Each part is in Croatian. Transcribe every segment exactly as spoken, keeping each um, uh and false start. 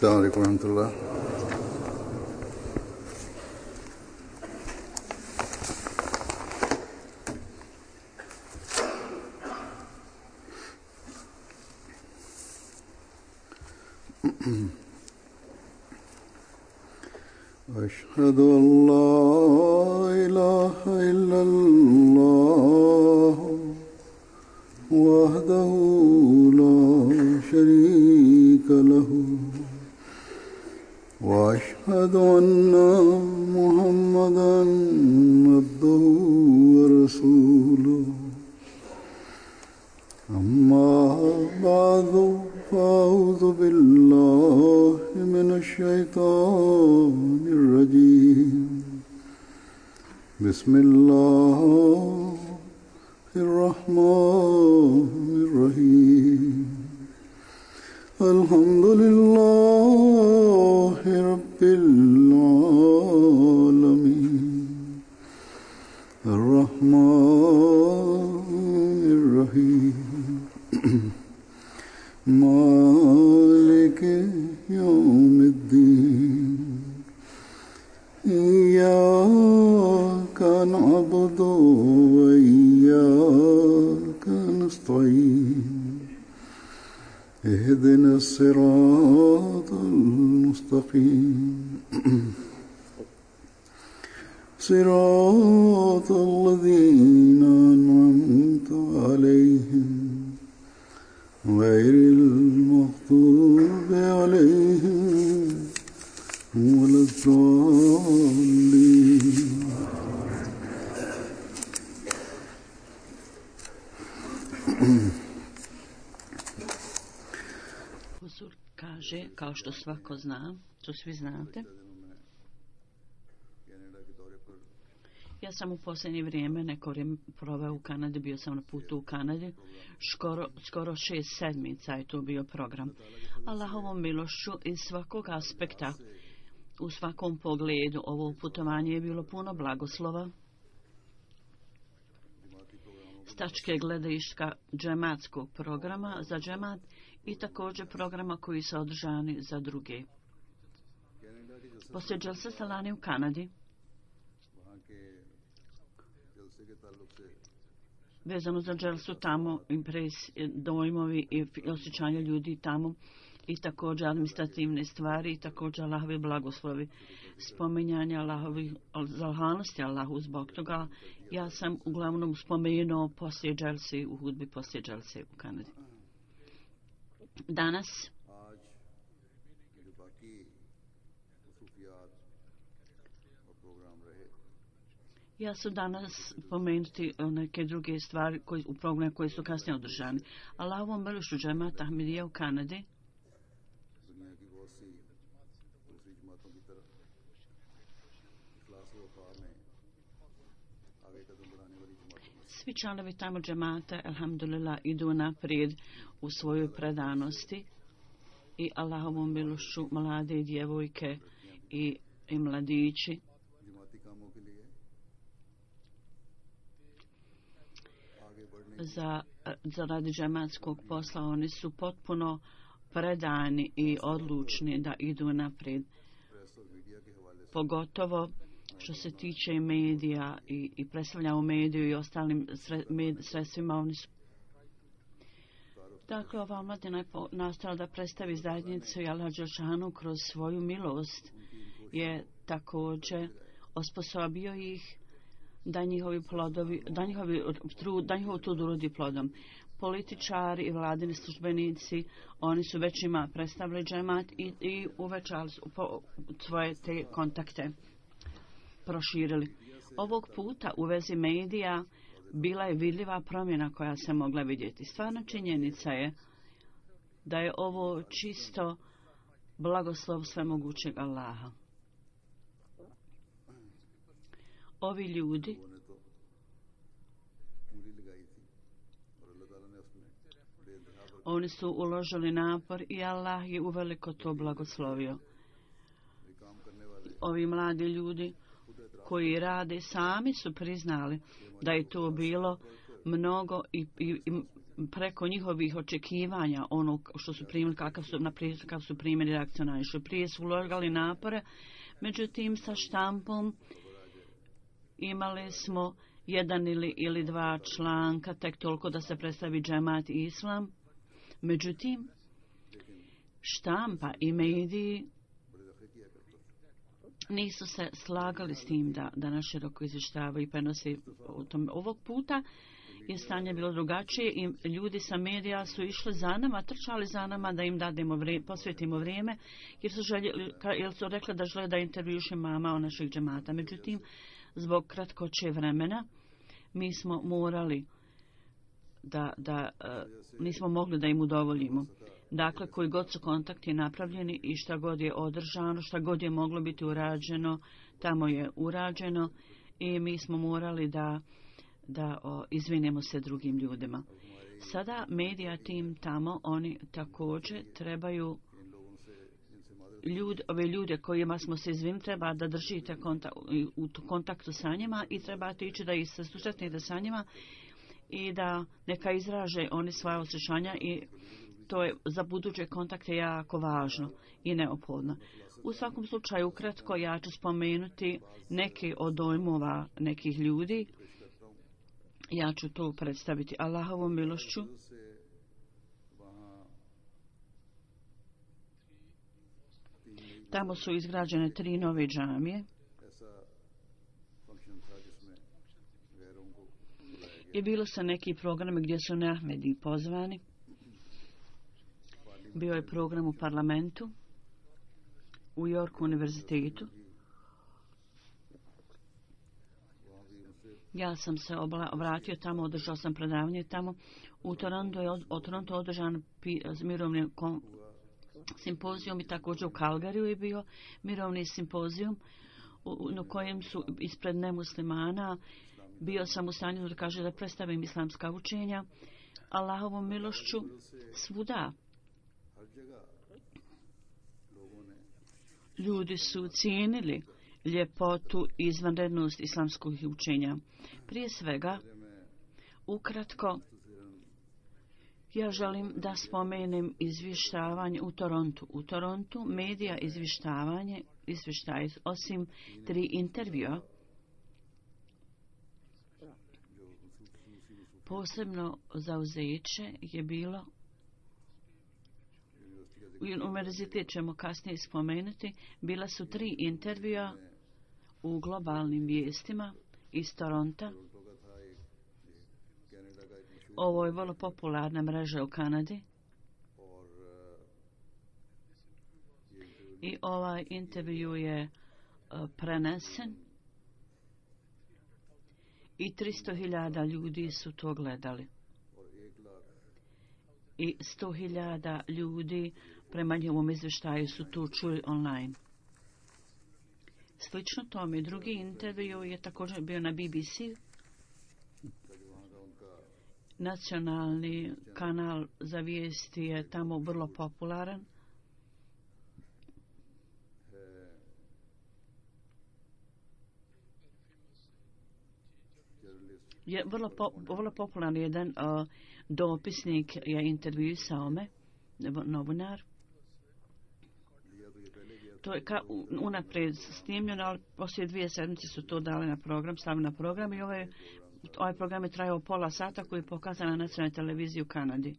السلام عليكم ورحمة الله. أشهد أن لا إله إلا الله وحده لا شريك له وأشهد أن محمدا عبده ورسوله أما بعد فأعوذ بالله من الشيطان الرجيم بسم الله الرحمن الرحيم الحمد لله رب العالمين الرحمن الرحيم مالك يوم الدين إياك نعبد وإياك نستعين اهدنا الصراط المستقيم صراط الذين أنعمت عليهم غير المغضوب عليهم ولا الضالين. Huzur kaže, kao što svako zna, to svi znate, ja sam u posljednje vrijeme, neko vrijeme proveo u Kanadi, bio sam na putu u Kanadi, skoro, skoro šest sedmica je to bio program. Allahovom milošću iz svakog aspekta, u svakom pogledu, ovo putovanje je bilo puno blagoslova, s tačke gledišta džematskog programa za džemat i također programa koji su održani za druge. Poslije dželse salani u Kanadi, vezano za dželsu tamo, impres, dojmovi i osjećanja ljudi tamo i također administrativne stvari i također Allahovi blagoslovi, spominjanje Allahovi zahvalnosti Allahu zbog toga. Ja sam uglavnom spomenuo poslije dželse, u hudbi poslije dželse u Kanadi. Danas ja ću danas pomenuti neke druge stvari koji, u programu koje su kasnije održani. Allahovom milošću džemat Ahmedija u Kanadi svi članovi tamo džemata, alhamdulillah, idu naprijed u svojoj predanosti i Allahovom milošću mlade djevojke i, i mladići za, za radi džematskog posla, oni su potpuno predani i odlučni da idu naprijed. Pogotovo što se tiče medija i, i predstavlja u mediju i ostalim sre, med, sredstvima, oni su. Dakle, ova omladina je nastala da predstavi zajednicu i Allah dželešanu kroz svoju milost je također osposobio ih da njihovi plodovi, da njihovi trud, da njihov trud urodi plodom. Političari i vladini službenici, oni su već ima predstavili džemat i, i uvećali po, svoje te kontakte proširili. Ovog puta u vezi medija bila je vidljiva promjena koja se mogla vidjeti. Stvarna činjenica je da je ovo čisto blagoslov svemogućeg Allaha. Ovi ljudi oni su uložili napor i Allah je uveliko to blagoslovio. Ovi mladi ljudi koji rade sami su priznali da je to bilo mnogo i, i, i preko njihovih očekivanja, ono što su primili, kakav su, naprijed, kakav su primili reakciju naišli. Prije su uložili napore, međutim sa štampom imali smo jedan ili, ili dva članka, tek toliko da se predstavi džemat i islam. Međutim, štampa i mediji nisu se slagali s tim da, da nas široko izvještavaju i prenose u tom. Ovog puta je stanje bilo drugačije i ljudi sa medija su išli za nama, trčali za nama da im dademo vrijeme, posvetimo vrijeme, jer su, željeli, jer su rekli da žele da intervjuše mama o naših džemata. Međutim, zbog kratkoće vremena mi smo morali da, da uh, nismo mogli da im udovoljimo. Dakle, koji god su kontakti napravljeni i šta god je održano, šta god je moglo biti urađeno, tamo je urađeno i mi smo morali da, da o, izvinemo se drugim ljudima. Sada medija tim tamo, oni također trebaju ljud, ove ljude kojima smo se izvinili, treba da držite kontak, u kontaktu sa njima i trebate ići da ih se susretnete sa njima i da neka izraže oni svoje osjećanja i to je za buduće kontakte jako važno i neophodno. U svakom slučaju, ukratko, ja ću spomenuti neke od dojmova nekih ljudi. Ja ću to predstaviti Allahovom milošću. Tamo su izgrađene tri nove džamije. I bilo su neki programe gdje su neahmedi pozvani. Bio je program u parlamentu, u Yorku univerzitetu. Ja sam se obla, vratio tamo, održao sam predavanje tamo. U Toronto je, od Toronto održan pi, mirovni kom, simpozijum i također u Calgaryju je bio mirovni simpozijum u, na kojem su ispred nemuslimana. Bio sam u stanju da kaže da predstavim islamska učenja. Allahovom milošću svuda ljudi su cijenili ljepotu i izvanrednost islamskih učenja. Prije svega, ukratko, ja želim da spomenem izvještavanje u Torontu. U Torontu medija izvještavanje, izvještaje osim tri intervjua, posebno zauzeće je bilo u univerzitet ćemo kasnije spomenuti, bila su tri intervjua u globalnim vijestima iz Toronta. Ovo je vrlo popularna mreža u Kanadi. I ovaj intervju je uh, prenesen i tristo hiljada ljudi su to gledali. I sto hiljada ljudi prema njegovom izvještaju su to čuli online. Slično tome, drugi intervju je također bio na B B C. Nacionalni kanal za vijesti je tamo vrlo popularan. Je vrlo, po, vrlo popularan jedan uh, dopisnik je intervjuisao me, novinar. To je ka, unaprijed snimljeno, ali poslije dvije sedmice su to dali na program, stavili na program i ovaj, ovaj program je trajao pola sata koji je pokazan na nacionalnoj televiziji u Kanadi.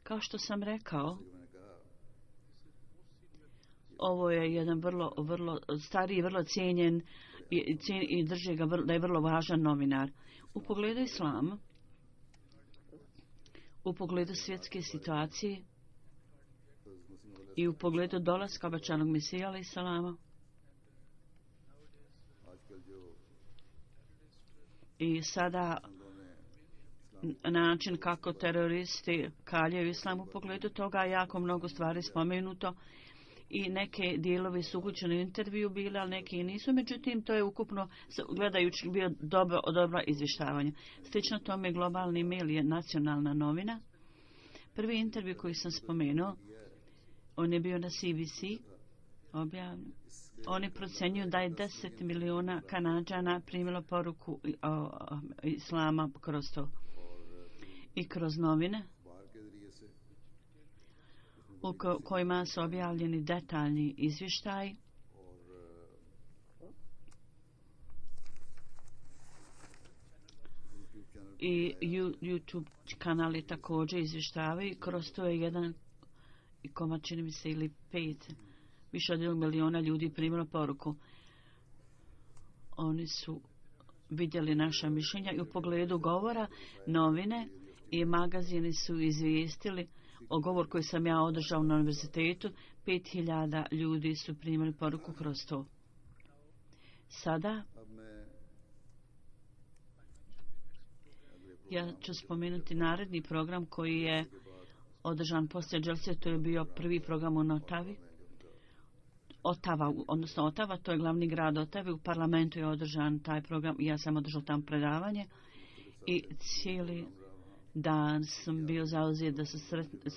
Kao što sam rekao, ovo je jedan vrlo, vrlo stariji, vrlo cijenjen i, cijen, i drži ga vrlo, da je vrlo važan novinar. U pogledu islama, u pogledu svjetske situacije i u pogledu dolaska obećanog Mesija alejhi selama i sada način kako teroristi kaljaju islam, u pogledu toga jako mnogo stvari spomenuto i neke dijelovi su uključeni u intervju bile, ali neki nisu. Međutim, to je ukupno gledajući bio dobro, dobro izvještavanje. Slično tome globalni mail je nacionalna novina. Prvi intervju koji sam spomenuo, on je bio na C B C objavljen. Oni procenjuju da je deset miliona Kanađana primilo poruku o, o, islama kroz to. i kroz novine u ko- kojima su objavljeni detaljni izvještaji i YouTube kanali također izvještavaju. Kroz to je jedan i komad, čini mi se, ili pet, više od jednog miliona ljudi primilo poruku. Oni su vidjeli naša mišljenja i u pogledu govora novine i magazini su izvijestili o govor koji sam ja održao na univerzitetu. Pet hiljada ljudi su primili poruku kroz to. Sada ja ću spomenuti naredni program koji je održan poslije Dželse. To je bio prvi program u Otavi. Otava, odnosno Otava, to je glavni grad Otave. U parlamentu je održan taj program i ja sam održao tam predavanje i cijeli dan sam bio zauzet da se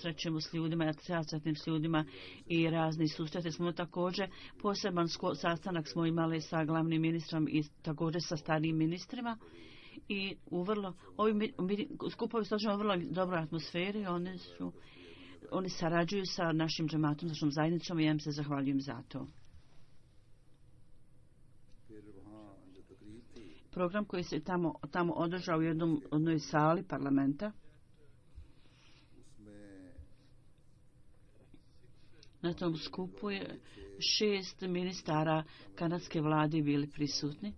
srećemo s ljudima, sretnim s ljudima i razni susrete. Smo također poseban sastanak smo imali sa glavnim ministrom i također sa starijim ministrima i u vrlo, ovi skupovi su u vrlo dobroj atmosferi. Oni su Oni sarađuju sa našim džematom, našom zajednicom i ja im se zahvaljujem za to. Program koji se tamo, tamo održao u jednom, jednoj sali parlamenta. Na tom skupu je šest ministara kanadske vlade bili prisutni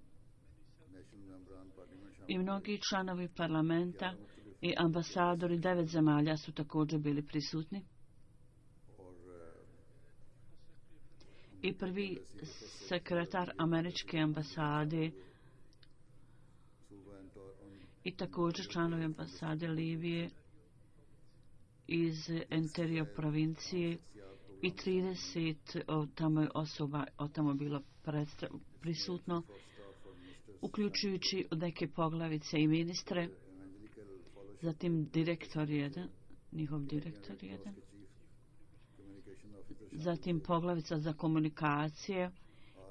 i mnogi članovi parlamenta i ambasadori devet zemalja su također bili prisutni. I prvi sekretar američke ambasade i također članovi ambasade Libije iz Ontario provincije i trideset od tamo je osoba od tamo bilo predstav, prisutno, uključujući neke poglavice i ministre. Zatim direktor jedan, njihov direktor jedan. Zatim poglavica za komunikacije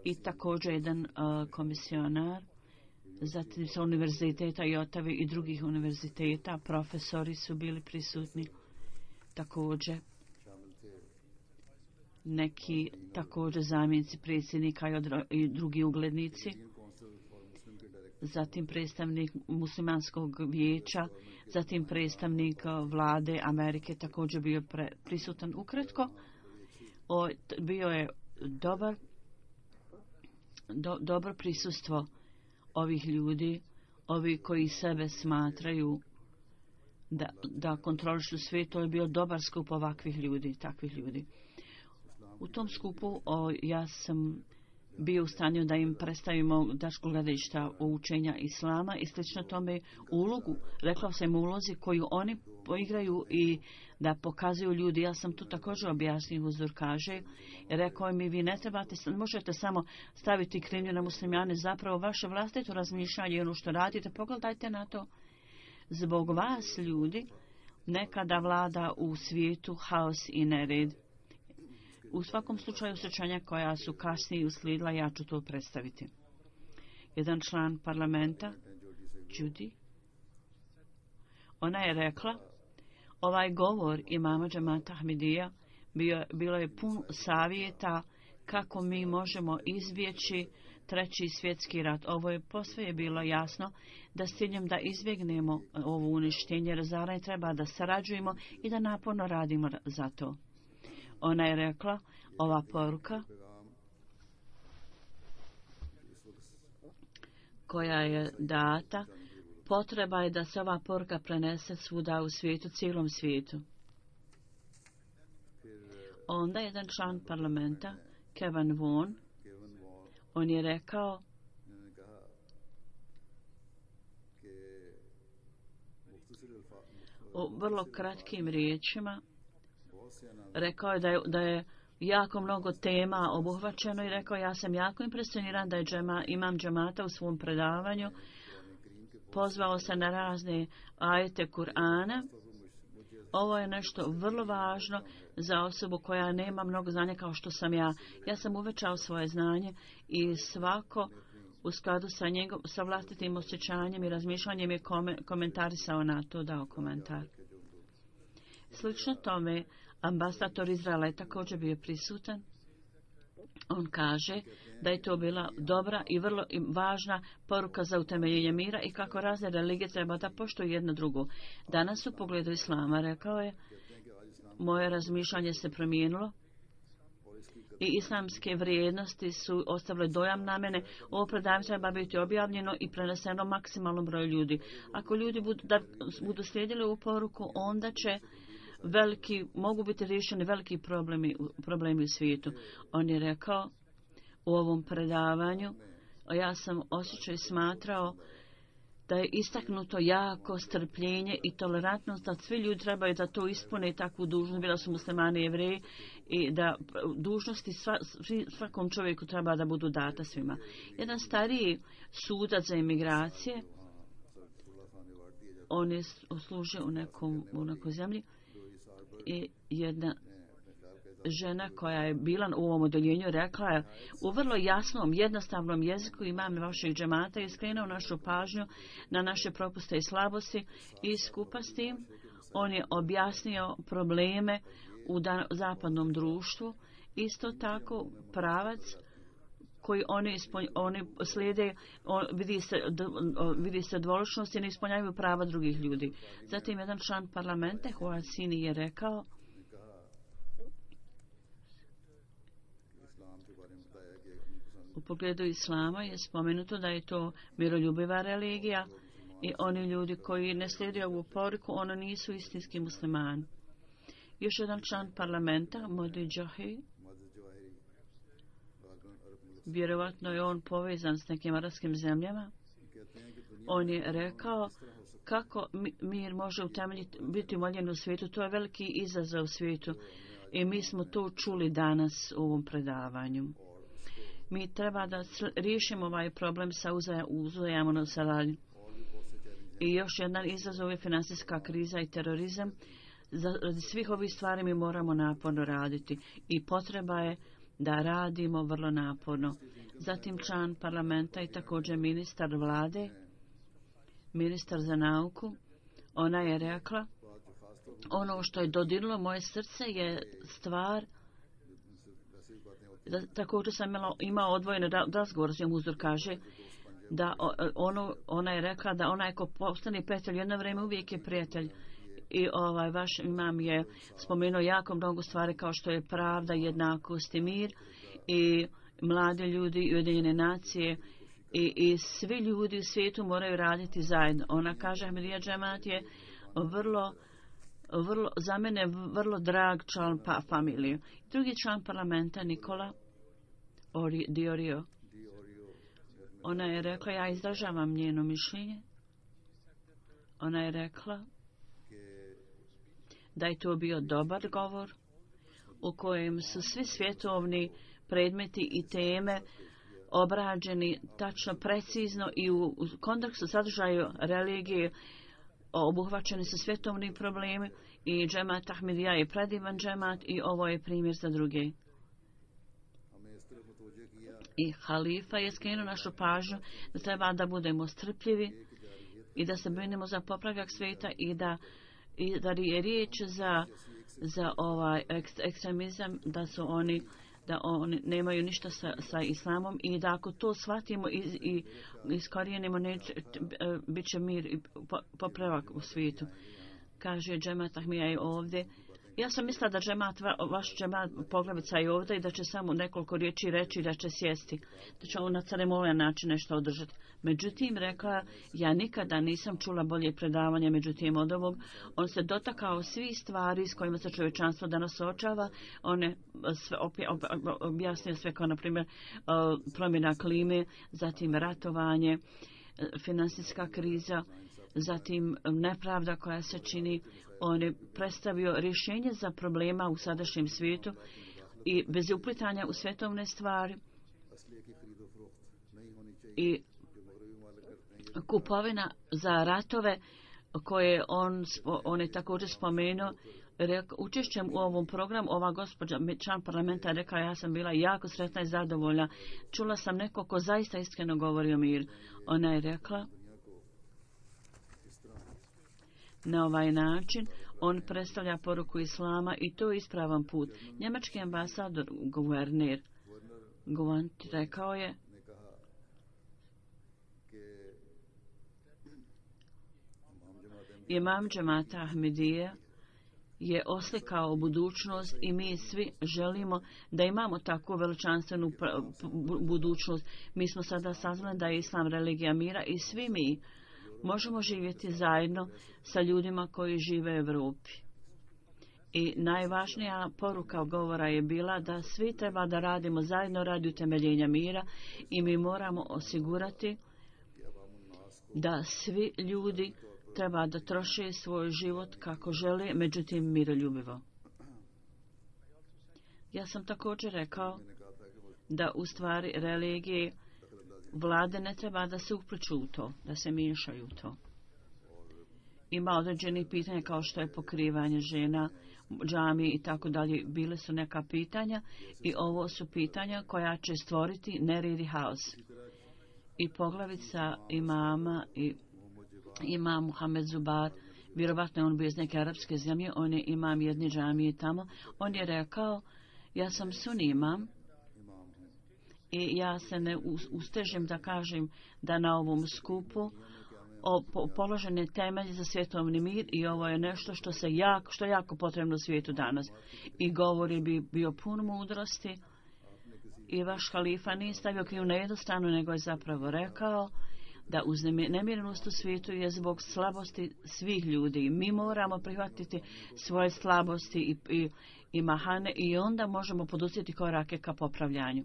i također jedan uh, komisionar. Zatim sa univerziteta i Otave i drugih univerziteta profesori su bili prisutni. Također neki također zamjenici predsjednika i, odro, i drugi uglednici. Zatim predstavnik muslimanskog vijeća, zatim predstavnik vlade Amerike također bio pre, prisutan. Ukratko, o, bio je dobar, do, dobro prisustvo ovih ljudi, ovi koji sebe smatraju da, da kontrolišu svijet. To je bio dobar skup ovakvih ljudi, takvih ljudi. U tom skupu o, ja sam bio u stanju da im predstavimo dašku gledišta o učenja islama i slično tome ulogu, rekla sam ulozi koju oni poigraju i da pokazuju ljudi. Ja sam tu također objasnio, Huzur kaže, rekao mi, vi ne trebate, možete samo staviti krivnju na muslimane, zapravo vaše vlastito razmišljanje i ono što radite, pogledajte na to. Zbog vas, ljudi, nekada vlada u svijetu haos i nered. U svakom slučaju sjećanja koja su kasnije uslijedila, ja ću to predstaviti. Jedan član parlamenta, Judy, ona je rekla, ovaj govor imama džemata Ahmedija bio, bilo je pun savjeta kako mi možemo izbjeći treći svjetski rat. Ovo je posve je bilo jasno da s ciljem da izbjegnemo ovo uništenje, razaranje, treba da sarađujemo i da naporno radimo za to. Ona je rekla, ova poruka koja je data, potreba je da se ova poruka prenese svuda u svijetu, cijelom svijetu. Onda jedan član parlamenta, Kevin Vaughan, on je rekao u vrlo kratkim riječima, rekao je da je, da je jako mnogo tema obuhvaćeno i rekao, ja sam jako impresioniran da je džema, imam džemata u svom predavanju pozvao se na razne ajete Kur'ana. Ovo je nešto vrlo važno za osobu koja nema mnogo znanja kao što sam ja. Ja sam uvećao svoje znanje i svako u skladu sa, njegov, sa vlastitim osjećanjem i razmišljanjem je kome, komentarisao na to, dao komentar. Slično tome, ambasador Izraela je također bio prisutan. On kaže da je to bila dobra i vrlo važna poruka za utemeljenje mira i kako razne religije treba da poštuju jedno drugu. Danas u pogledu islama, rekao je, moje razmišljanje se promijenilo i islamske vrijednosti su ostavile dojam na mene. Ovo predavanje treba biti objavljeno i preneseno maksimalnom broju ljudi. Ako ljudi budu, da, budu slijedili ovu poruku, onda će veliki, mogu biti riješeni veliki problemi, problemi u svijetu. On je rekao u ovom predavanju, a ja sam osjećao i smatrao da je istaknuto jako strpljenje i tolerantnost, da svi ljudi trebaju da to ispune takvu dužnost, bila su muslimani i jevreji, i da dužnosti sva, svakom čovjeku treba da budu data svima. Jedan stariji sudac za imigracije, on je služio u nekom, u nekoj zemlji, i jedna žena koja je bila u ovom odeljenju rekla je u vrlo jasnom, jednostavnom jeziku, imam vašeg džemata, i skrenuo našu pažnju na naše propuste i slabosti, i skupa s tim on je objasnio probleme u da, zapadnom društvu. Isto tako pravac koji oni, ispolj, oni slijede, on, vidi se, d, vidi se dvoličnost i ne ispunjavaju prava drugih ljudi. Zatim jedan član parlamenta, Huad Sini, je rekao u pogledu islama je spomenuto da je to miroljubiva religija i oni ljudi koji ne slijede ovu poruku, ono nisu istinski muslimani. Još jedan član parlamenta, Modi Džahi, vjerovatno je on povezan s nekim arapskim zemljama, on je rekao kako mir može utemeljiti, biti umoljen u svijetu. To je veliki izazov u svijetu i mi smo to čuli danas u ovom predavanju. Mi treba da riješimo ovaj problem sa uzajamnom saradnjom. I još jedan izazov je financijska kriza i terorizam. Za svih ovih stvari mi moramo naporno raditi i potreba je da radimo vrlo naporno. Zatim član parlamenta i također ministar vlade, ministar za nauku, ona je rekla, ono što je dodirilo moje srce je stvar, da, također sam imala, imao odvojeno razgovor s njom, uzor kaže, da ono, ona je rekla da onaj ko postane prijatelj jedno vrijeme uvijek je prijatelj. I ovaj vaš imam je spomenuo jako mnogo stvari kao što je pravda, jednakost i mir, i mlade ljudi i Ujedinjene nacije, i, i svi ljudi u svijetu moraju raditi zajedno. Ona kaže, Ahmadija džemat je vrlo, vrlo, za mene vrlo drag član pa familije. Drugi član parlamenta, Nikola Ori, Diorio, ona je rekla, ja izražavam njeno mišljenje. Ona je rekla da je to bio dobar govor u kojem su svi svjetovni predmeti i teme obrađeni tačno, precizno i u, u kontekstu sadržaju religije obuhvaćeni su svjetovni problemi i džemat Ahmadija je predivan džemat i ovo je primjer za druge. I halifa je skrenuo našu pažnju da treba da budemo strpljivi i da se brinemo za popravljak svijeta i da i da je riječ za, za ovaj ekstremizam, da su oni, da oni nemaju ništa sa, sa islamom i da ako to shvatimo i, i iskorijenimo, neće, bit će mir i popravak u svijetu. Kaže džemat Ahmadija je ovdje. Ja sam mislila da džemat, vaš džemat poglavica je ovdje i da će samo nekoliko riječi reći, da će sjesti, da će on na ceremonijan način nešto održati. Međutim, rekla, ja nikada nisam čula bolje predavanje, međutim od ovog, on se dotakao svih stvari s kojima se čovječanstvo danas suočava, on je sve objasnio sve kao, na primjer, promjena klime, zatim ratovanje, financijska kriza, zatim nepravda koja se čini. On je predstavio rješenje za problema u sadašnjem svijetu i bez uplitanja u svjetovne stvari i kupovina za ratove koje on, on je također spomenuo učešćem u ovom programu ova gospođa član parlamenta rekla ja sam bila jako sretna i zadovoljna. Čula sam neko ko zaista iskreno govori o miru. Ona je rekla na ovaj način on predstavlja poruku islama i to je ispravan put. Njemački ambasador, guverner Guanti rekao je imam džemata Ahmedije je oslikao budućnost i mi svi želimo da imamo takvu veličanstvenu budućnost. Mi smo sada saznali da je islam religija mira i svi mi možemo živjeti zajedno sa ljudima koji žive u Europi. I najvažnija poruka govora je bila da svi treba da radimo zajedno radi utemeljenja mira i mi moramo osigurati da svi ljudi treba da troše svoj život kako žele, međutim miroljubivo. Ja sam također rekao da u stvari religije vlade ne treba da se upliču u to, da se miješaju u to. Ima određenih pitanja kao što je pokrivanje žena, džamije i tako dalje. Bile su neka pitanja i ovo su pitanja koja će stvoriti nered i haos. I poglavica imama i imam Muhammed Zubar, vjerovatno je on bio iz neke arapske zemlje, on je imam jedne džamije tamo, on je rekao ja sam sunni imam i ja se ne ustežem da kažem da na ovom skupu o, po, položen je temelj za svjetovni mir i ovo je nešto što se jako, što je jako potrebno u svijetu danas. I govori bi bio pun mudrosti i vaš halifa nije stavio kriju na jednu stranu, nego je zapravo rekao da uznemirenost u svijetu je zbog slabosti svih ljudi. Mi moramo prihvatiti svoje slabosti i, i, i mahane i onda možemo poduzeti korake ka popravljanju.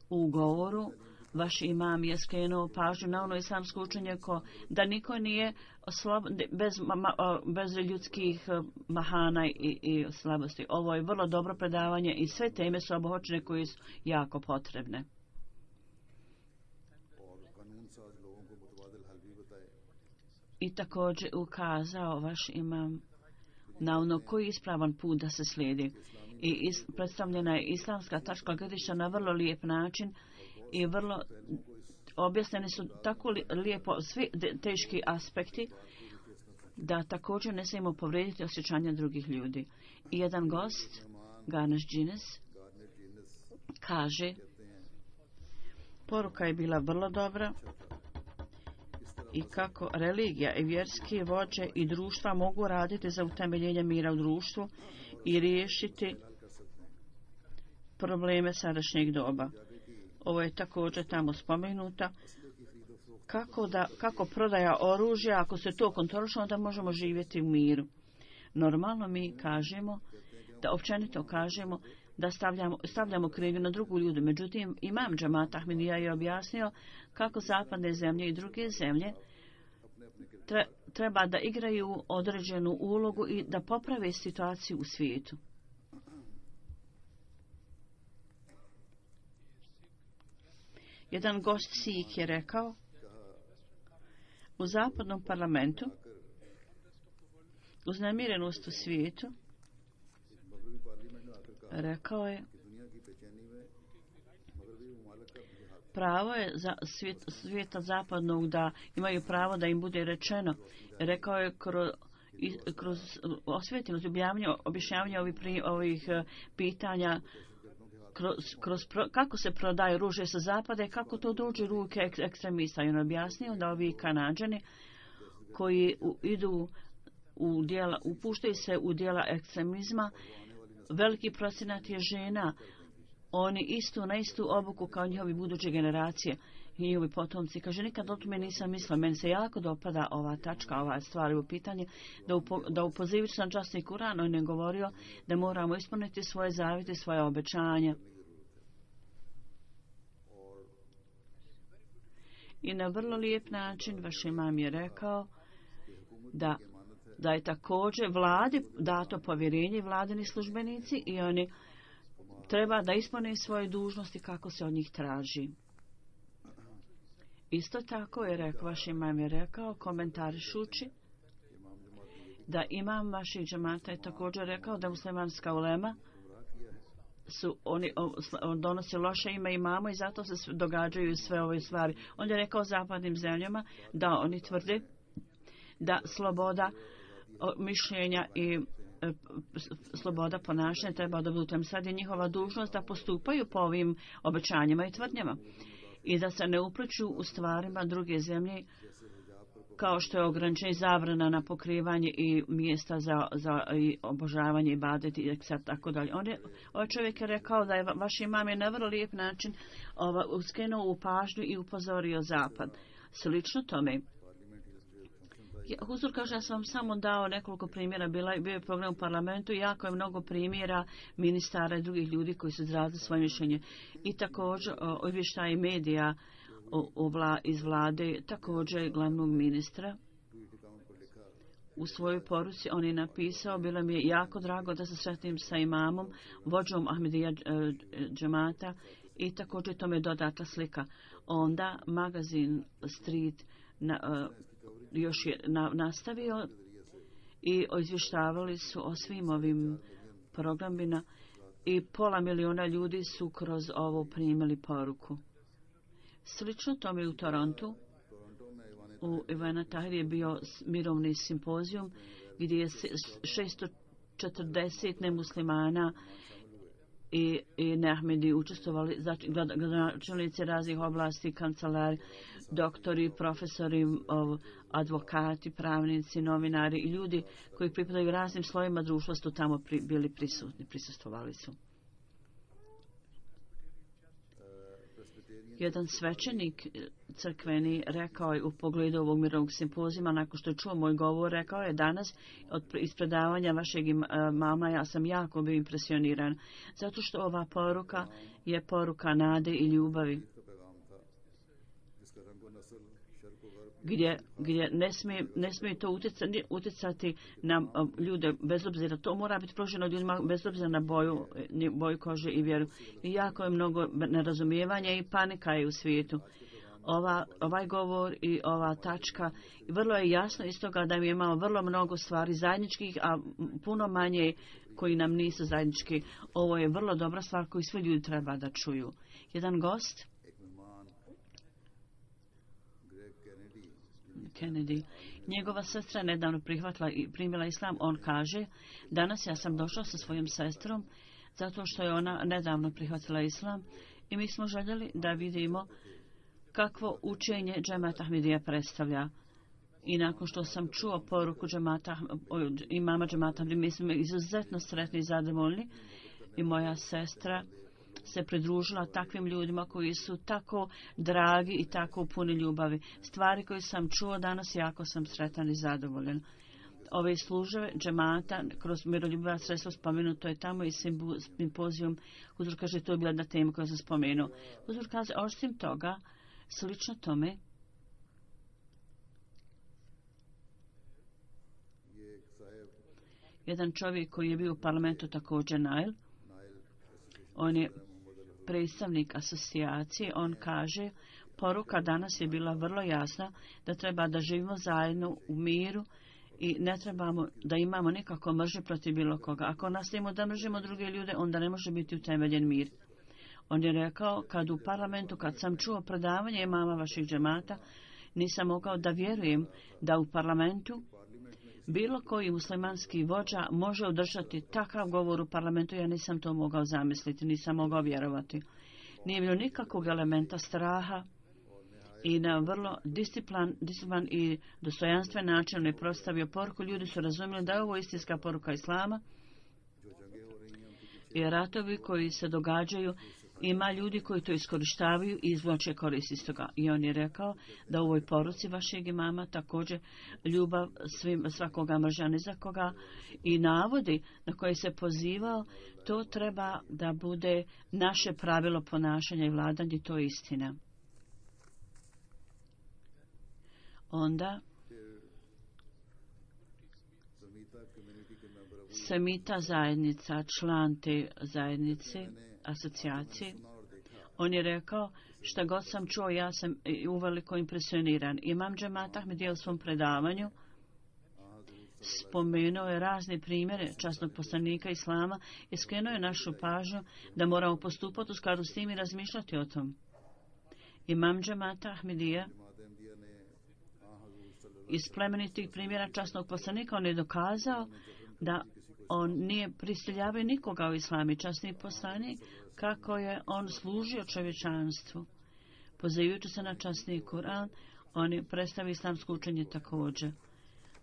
U govoru vaš imam je skrenuo pažnju na ono islamsko učenje ko da niko nije slab, bez, ma, bez ljudskih mahana i, i slabosti. Ovo je vrlo dobro predavanje i sve teme su obuhvaćene koje su jako potrebne. I također ukazao vaš imam na ono koji je ispravan put da se slijedi. I is, predstavljena je islamska tačka gledišta na vrlo lijep način i vrlo objasneni su tako lijepo svi teški aspekti da također ne smijemo povrediti osjećanja drugih ljudi. I jedan gost, Ganesh Džines, kaže poruka je bila vrlo dobra i kako religija i vjerski vođe i društva mogu raditi za utemeljenje mira u društvu i riješiti probleme sadašnjeg doba. Ovo je također tamo spomenuta. Kako, da, kako prodaja oružja, ako se to kontroliše, onda možemo živjeti u miru. Normalno mi kažemo, da općenito kažemo, da stavljamo, stavljamo krivnju na drugu ljudu. Međutim, imam džemat Ahmedija je objasnio kako zapadne zemlje i druge zemlje tre, treba da igraju određenu ulogu i da poprave situaciju u svijetu. Jedan gost Sik je rekao u zapadnom parlamentu uznemirenost u svijetu rekao je pravo je za svijet, svijeta zapadnog da imaju pravo da im bude rečeno. Rekao je kroz, kroz osvjetljenost objašnjavanje ovih, ovih pitanja kroz, kroz pro, kako se prodaje ruže sa zapada i kako to dođe u ruke ek, ekstremista. I on objasnio da ovi Kanađani koji u, idu u djela, upuštaju se u djela ekstremizma, veliki procenat je žena, oni istu na istu obuku kao njihovi buduće generacije i njihovi potomci. Kaže, nikad o tome nisam mislila, meni se jako dopada ova tačka, ova stvar u pitanje, da, upo, da upozivajući na časni Kuran, on je govorio da moramo ispuniti svoje zavjete, svoje obećanja. I na vrlo lijep način vaš imam je rekao da da je također vladi dato povjerenje vladini službenici i oni treba da ispune svoje dužnosti kako se od njih traži. Isto tako je rekao, vaš imam je rekao, komentarišući da imam vaših džemata je također rekao da muslimanska ulema su oni on donosi loše ime imamo i zato se događaju sve ove stvari. On je rekao zapadnim zemljama da oni tvrde da sloboda mišljenja i e, sloboda ponašanja treba da budu tem. Sad je njihova dužnost da postupaju po ovim obećanjima i tvrdnjama i da se ne upliču u stvarima druge zemlje kao što je ograničenje zabrana na pokrivanje i mjesta za, za i obožavanje i badeti i tako dalje. On je, ovaj čovjek je rekao da je vaš imam je na vrlo lijep način ova, uskenuo u pažnju i upozorio zapad. Slično tome. Huzur kaže, ja sam vam samo dao nekoliko primjera, bila, bio je program u parlamentu i jako je mnogo primjera ministara i drugih ljudi koji su izrazili svoje mišljenje. I također izvještaji medija o, o vla, iz vlade, također glavnog ministra. U svojoj poruci on je napisao, bilo mi je jako drago da se sretnim sa imamom, vođom Ahmedija džemata i također to me dodata slika. Onda magazin Street na, uh, još je na, nastavio i izvještavali su o svim ovim programima i pola miliona ljudi su kroz ovo primili poruku. Slično tome u Torontu, u Ivana Tahir je bio mirovni simpozijum gdje je šesto četrdeset nemuslimana i, i neahmedi učestvovali, znači gradonačelnici raznih oblasti, kancelari, doktori, profesori, advokati, pravnici, novinari i ljudi koji pripadaju raznim slojima društva su tamo pri, bili prisutni, prisustvovali su. Jedan svećenik crkveni rekao je u pogledu ovog mirovnog simpozima, nakon što je čuo moj govor, rekao je danas od ispredavanja vašeg mama ja sam jako bio impresioniran, zato što ova poruka je poruka nade i ljubavi. Gdje, gdje ne smije, ne smije to utjecati, utjecati na ljude bez obzira. To mora biti pruženo ljudima bez obzira na boju, boju kože i vjeru. I jako je mnogo nerazumijevanja i panika je u svijetu. Ova, ovaj govor i ova tačka, vrlo je jasno iz toga da mi imamo vrlo mnogo stvari zajedničkih, a puno manje koji nam nisu zajednički. Ovo je vrlo dobra stvar koju svi ljudi treba da čuju. Jedan gost, Kennedy, njegova sestra nedavno prihvatila i primila islam. On kaže, danas ja sam došao sa svojom sestrom zato što je ona nedavno prihvatila islam i mi smo željeli da vidimo kakvo učenje džemata Ahmedija predstavlja. I nakon što sam čuo poruku džemata, imama džemata, mi smo izuzetno sretni i zadovoljni i moja sestra se pridružila takvim ljudima koji su tako dragi i tako puni ljubavi. Stvari koje sam čuo danas, jako sam sretan i zadovoljan. Ove službe džemata kroz miroljubiva sredstva spomenuto je tamo i simpozijum. Huzur kaže, to je bila jedna tema koju sam spomenuo. Huzur kaže, osim toga, slično tome, jedan čovjek koji je bio u parlamentu također Nail, on je predstavnik asocijacije, on kaže, poruka danas je bila vrlo jasna da treba da živimo zajedno u miru i ne trebamo da imamo nikako mržnje protiv bilo koga. Ako nastavimo da mržimo druge ljude, onda ne može biti utemeljen mir. On je rekao, kad u parlamentu, kad sam čuo predavanje imama vaših džemata, nisam mogao da vjerujem da u parlamentu bilo koji muslimanski vođa može održati takav govor u parlamentu. Ja nisam to mogao zamisliti, nisam mogao vjerovati. Nije bilo nikakvog elementa straha i na vrlo disciplin, disciplin i dostojanstven način je prostavio poruku. Ljudi su razumjeli da je ovo istinska poruka islama i ratovi koji se događaju, ima ljudi koji to iskorištavaju i izvlače korist iz toga. I on je rekao da u ovoj poruci vašeg imama također ljubav svim, svakoga mržnja ni za koga i navodi na koje se pozivao, to treba da bude naše pravilo ponašanja i vladanja, to je istina. Onda Semita zajednica, član te zajednice, asocijacije, on je rekao, šta god sam čuo, ja sam uveliko impresioniran. Imam džemat Ahmedija u svom predavanju spomenuo je razne primjere časnog poslanika Islama i skrenuo je našu pažnju da moramo postupati u skladu s tim i razmišljati o tom. Imam džemata Ahmedija iz plemenitih primjera časnog poslanika on je dokazao da on nije prisiljavao nikoga u islami. Časni poslanik kako je on služio čovječanstvu. Pozivajući se na časni Kur'an, on je predstavio islamsko učenje također.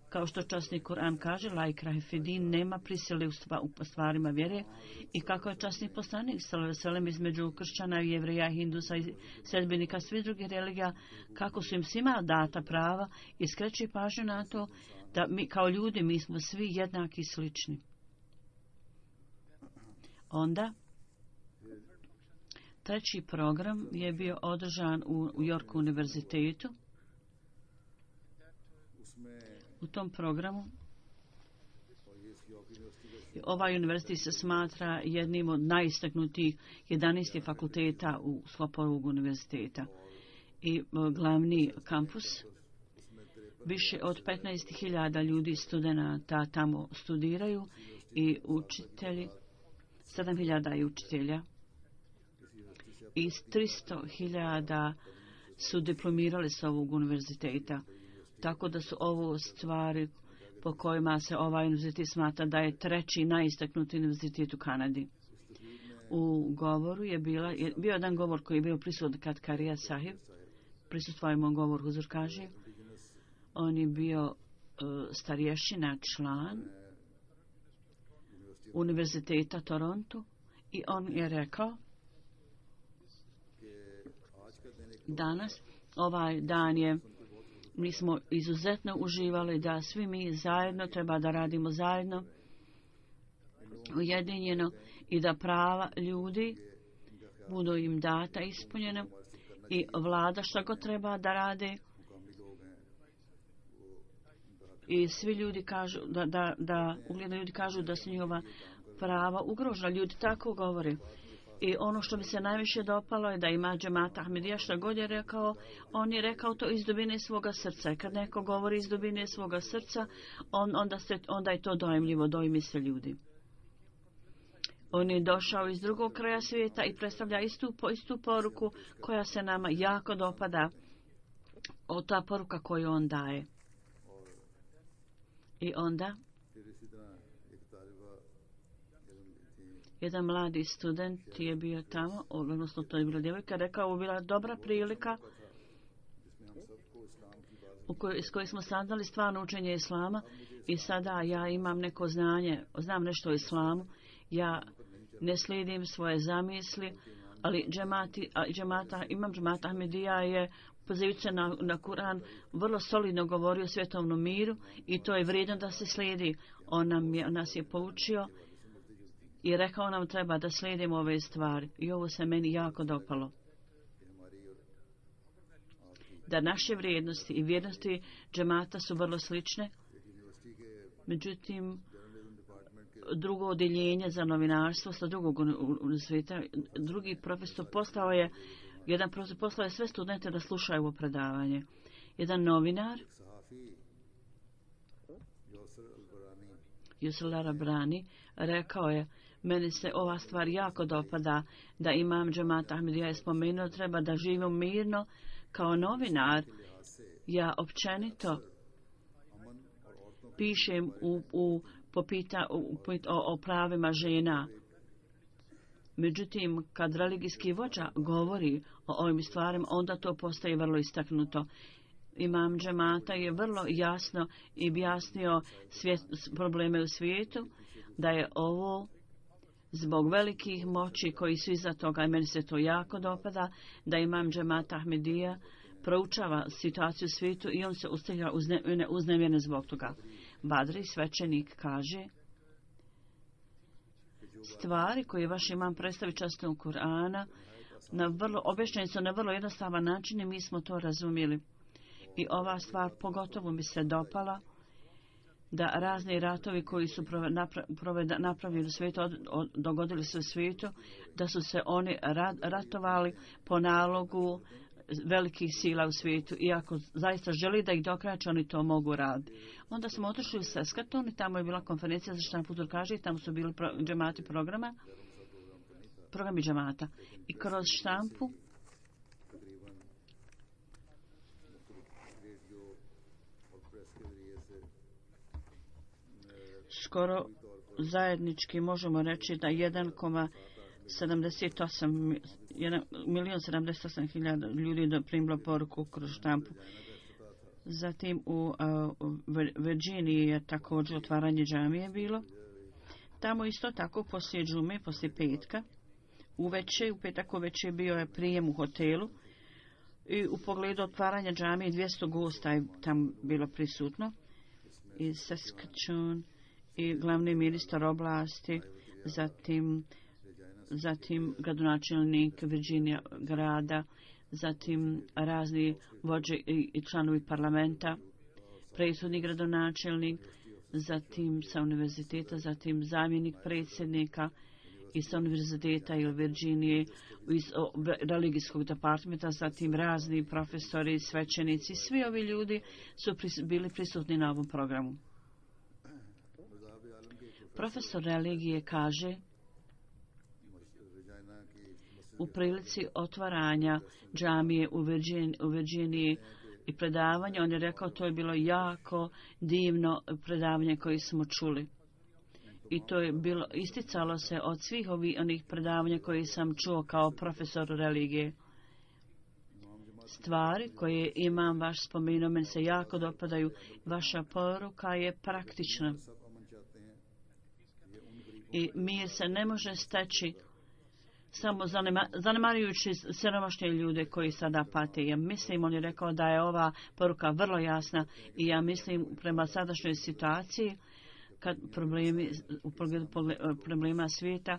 Kao što časni Kur'an kaže, la ikrahe fidin, nema prisile u stvarima vjere, i kako je časni poslanik sallallahu između kršćana, jevreja, hindusa i sledbenika svih drugih religija, kako su im svima data prava, i skreće pažnju na to da mi kao ljudi mi smo svi jednaki i slični. Onda treći program je bio održan u, u Yorku univerzitetu. U tom programu ovaj univerzitet se smatra jednim od najistaknutijih jedanaest fakulteta u sklopu ovog univerziteta. I glavni kampus, više od petnaest hiljada ljudi, studenata tamo studiraju i učitelji, sedam hiljada i učitelja. I tristo hiljada su diplomirali s ovog univerziteta. Tako da su ovo stvari po kojima se ovaj univerzitet smatra da je treći najistaknuti univerzitet u Kanadi. U govoru je bila, je bio jedan govor koji je bio prisutan kad Karija Sahib, prisustvujemo govor Huzur kaže, on je bio uh, starješina član univerziteta Toronto i on je rekao danas ovaj dan je mi smo izuzetno uživali da svi mi zajedno treba da radimo zajedno ujedinjeno i da prava ljudi budu im data ispunjena i vlada što god treba da rade i svi ljudi kažu da, da, da ugledni ljudi kažu da su njihova prava ugrožena. Ljudi tako govore. I ono što mi se najviše dopalo je da ima džemata Ahmedija što god je rekao, on je rekao to iz dubine svoga srca. I kad neko govori iz dubine svoga srca, on, onda, se, onda je to dojmljivo, dojmi se ljudi. On je došao iz drugog kraja svijeta i predstavlja istu, istu poruku koja se nama jako dopada. O ta poruka koju on daje. I onda jedan mladi student je bio tamo, odnosno to je bila djevojka, rekao ovo bila dobra prilika u kojoj, s kojoj smo saznali stvarno učenje islama i sada ja imam neko znanje, znam nešto o islamu, ja ne slijedim svoje zamisli, ali džemati, džemata, imam džemata Ahmedija je pozivajući se na, na Kur'an vrlo solidno govorio o svjetovnom miru i to je vrijedno da se slijedi. On, nam je, on nas je poučio i rekao nam treba da slijedimo ove stvari i ovo se meni jako dopalo. Da naše vrijednosti i vrijednosti džemata su vrlo slične, međutim drugo odjeljenje za novinarstvo sa drugog univerziteta, drugi profesor poslao je jedan profesor poslao je sve studente da slušaju ovo predavanje. Jedan novinar Yusr al-Brani rekao je meni se ova stvar jako dopada da imam džemat Ahmedija je spomenuo treba da živimo mirno kao novinar. Ja općenito pišem u, u, popita, u, o, o pravima žena. Međutim, kad religijski vođa govori o ovim stvarima, onda to postaje vrlo istaknuto. Imam džemata je vrlo jasno i objasnio svijet, probleme u svijetu, da je ovo zbog velikih moći koji su iza toga, i meni se to jako dopada, da imam džemata Ahmedija proučava situaciju u svijetu i on se ustavlja uzne, uznemljene zbog toga. Badri, svećenik, kaže stvari koje vaš imam predstavi častom Kur'ana na vrlo, objašnjeni su na vrlo jednostavan način i mi smo to razumjeli. I ova stvar pogotovo mi se dopala da razni ratovi koji su napravili u svijetu, od, od, dogodili se u svijetu, da su se oni rat, ratovali po nalogu velikih sila u svijetu i ako zaista želi da ih dokrače, oni to mogu raditi. Onda smo otišli u Saskatoon i tamo je bila konferencija za štampu Turkaže i tamo su bili pro, džemati programa, programi džemata. I kroz štampu skoro zajednički možemo reći da jedan zarez sedamdeset osam milion sedamdeset osam hiljada ljudi je primilo poruku kroz štampu. Zatim u uh, Virginiji je također otvaranje džamije bilo. Tamo isto tako poslije džume, poslije petka, uveče, u petak uveče bio je prijem u hotelu i u pogledu otvaranja džamije dvjesto gosta je tam bilo prisutno iz Saskatchewan i glavni ministar oblasti, zatim zatim gradonačelnik Virginia grada, zatim razni vođe i članovi parlamenta, predsjednik gradonačelnik, zatim sa univerziteta, zatim zamjenik predsjednika i sa univerziteta ili Virginije iz religijskog departmenta, zatim razni profesori, svećenici, svi ovi ljudi su pris, bili prisutni na ovom programu. Profesor religije kaže u prilici otvaranja džamije u, Virgin, u Virginiji i predavanja, on je rekao to je bilo jako divno predavanje koje smo čuli. I to je bilo, isticalo se od svih ovih onih predavanja koje sam čuo kao profesor religije. Stvari koje imam vaš spomenuo, meni se jako dopadaju. Vaša poruka je praktična. I mir se ne može steći samo zanima, zanemarujući siromašne ljude koji sada pate. Ja mislim, on je rekao da je ova poruka vrlo jasna i ja mislim prema sadašnjoj situaciji, kad problemi, u pogledu problema svijeta,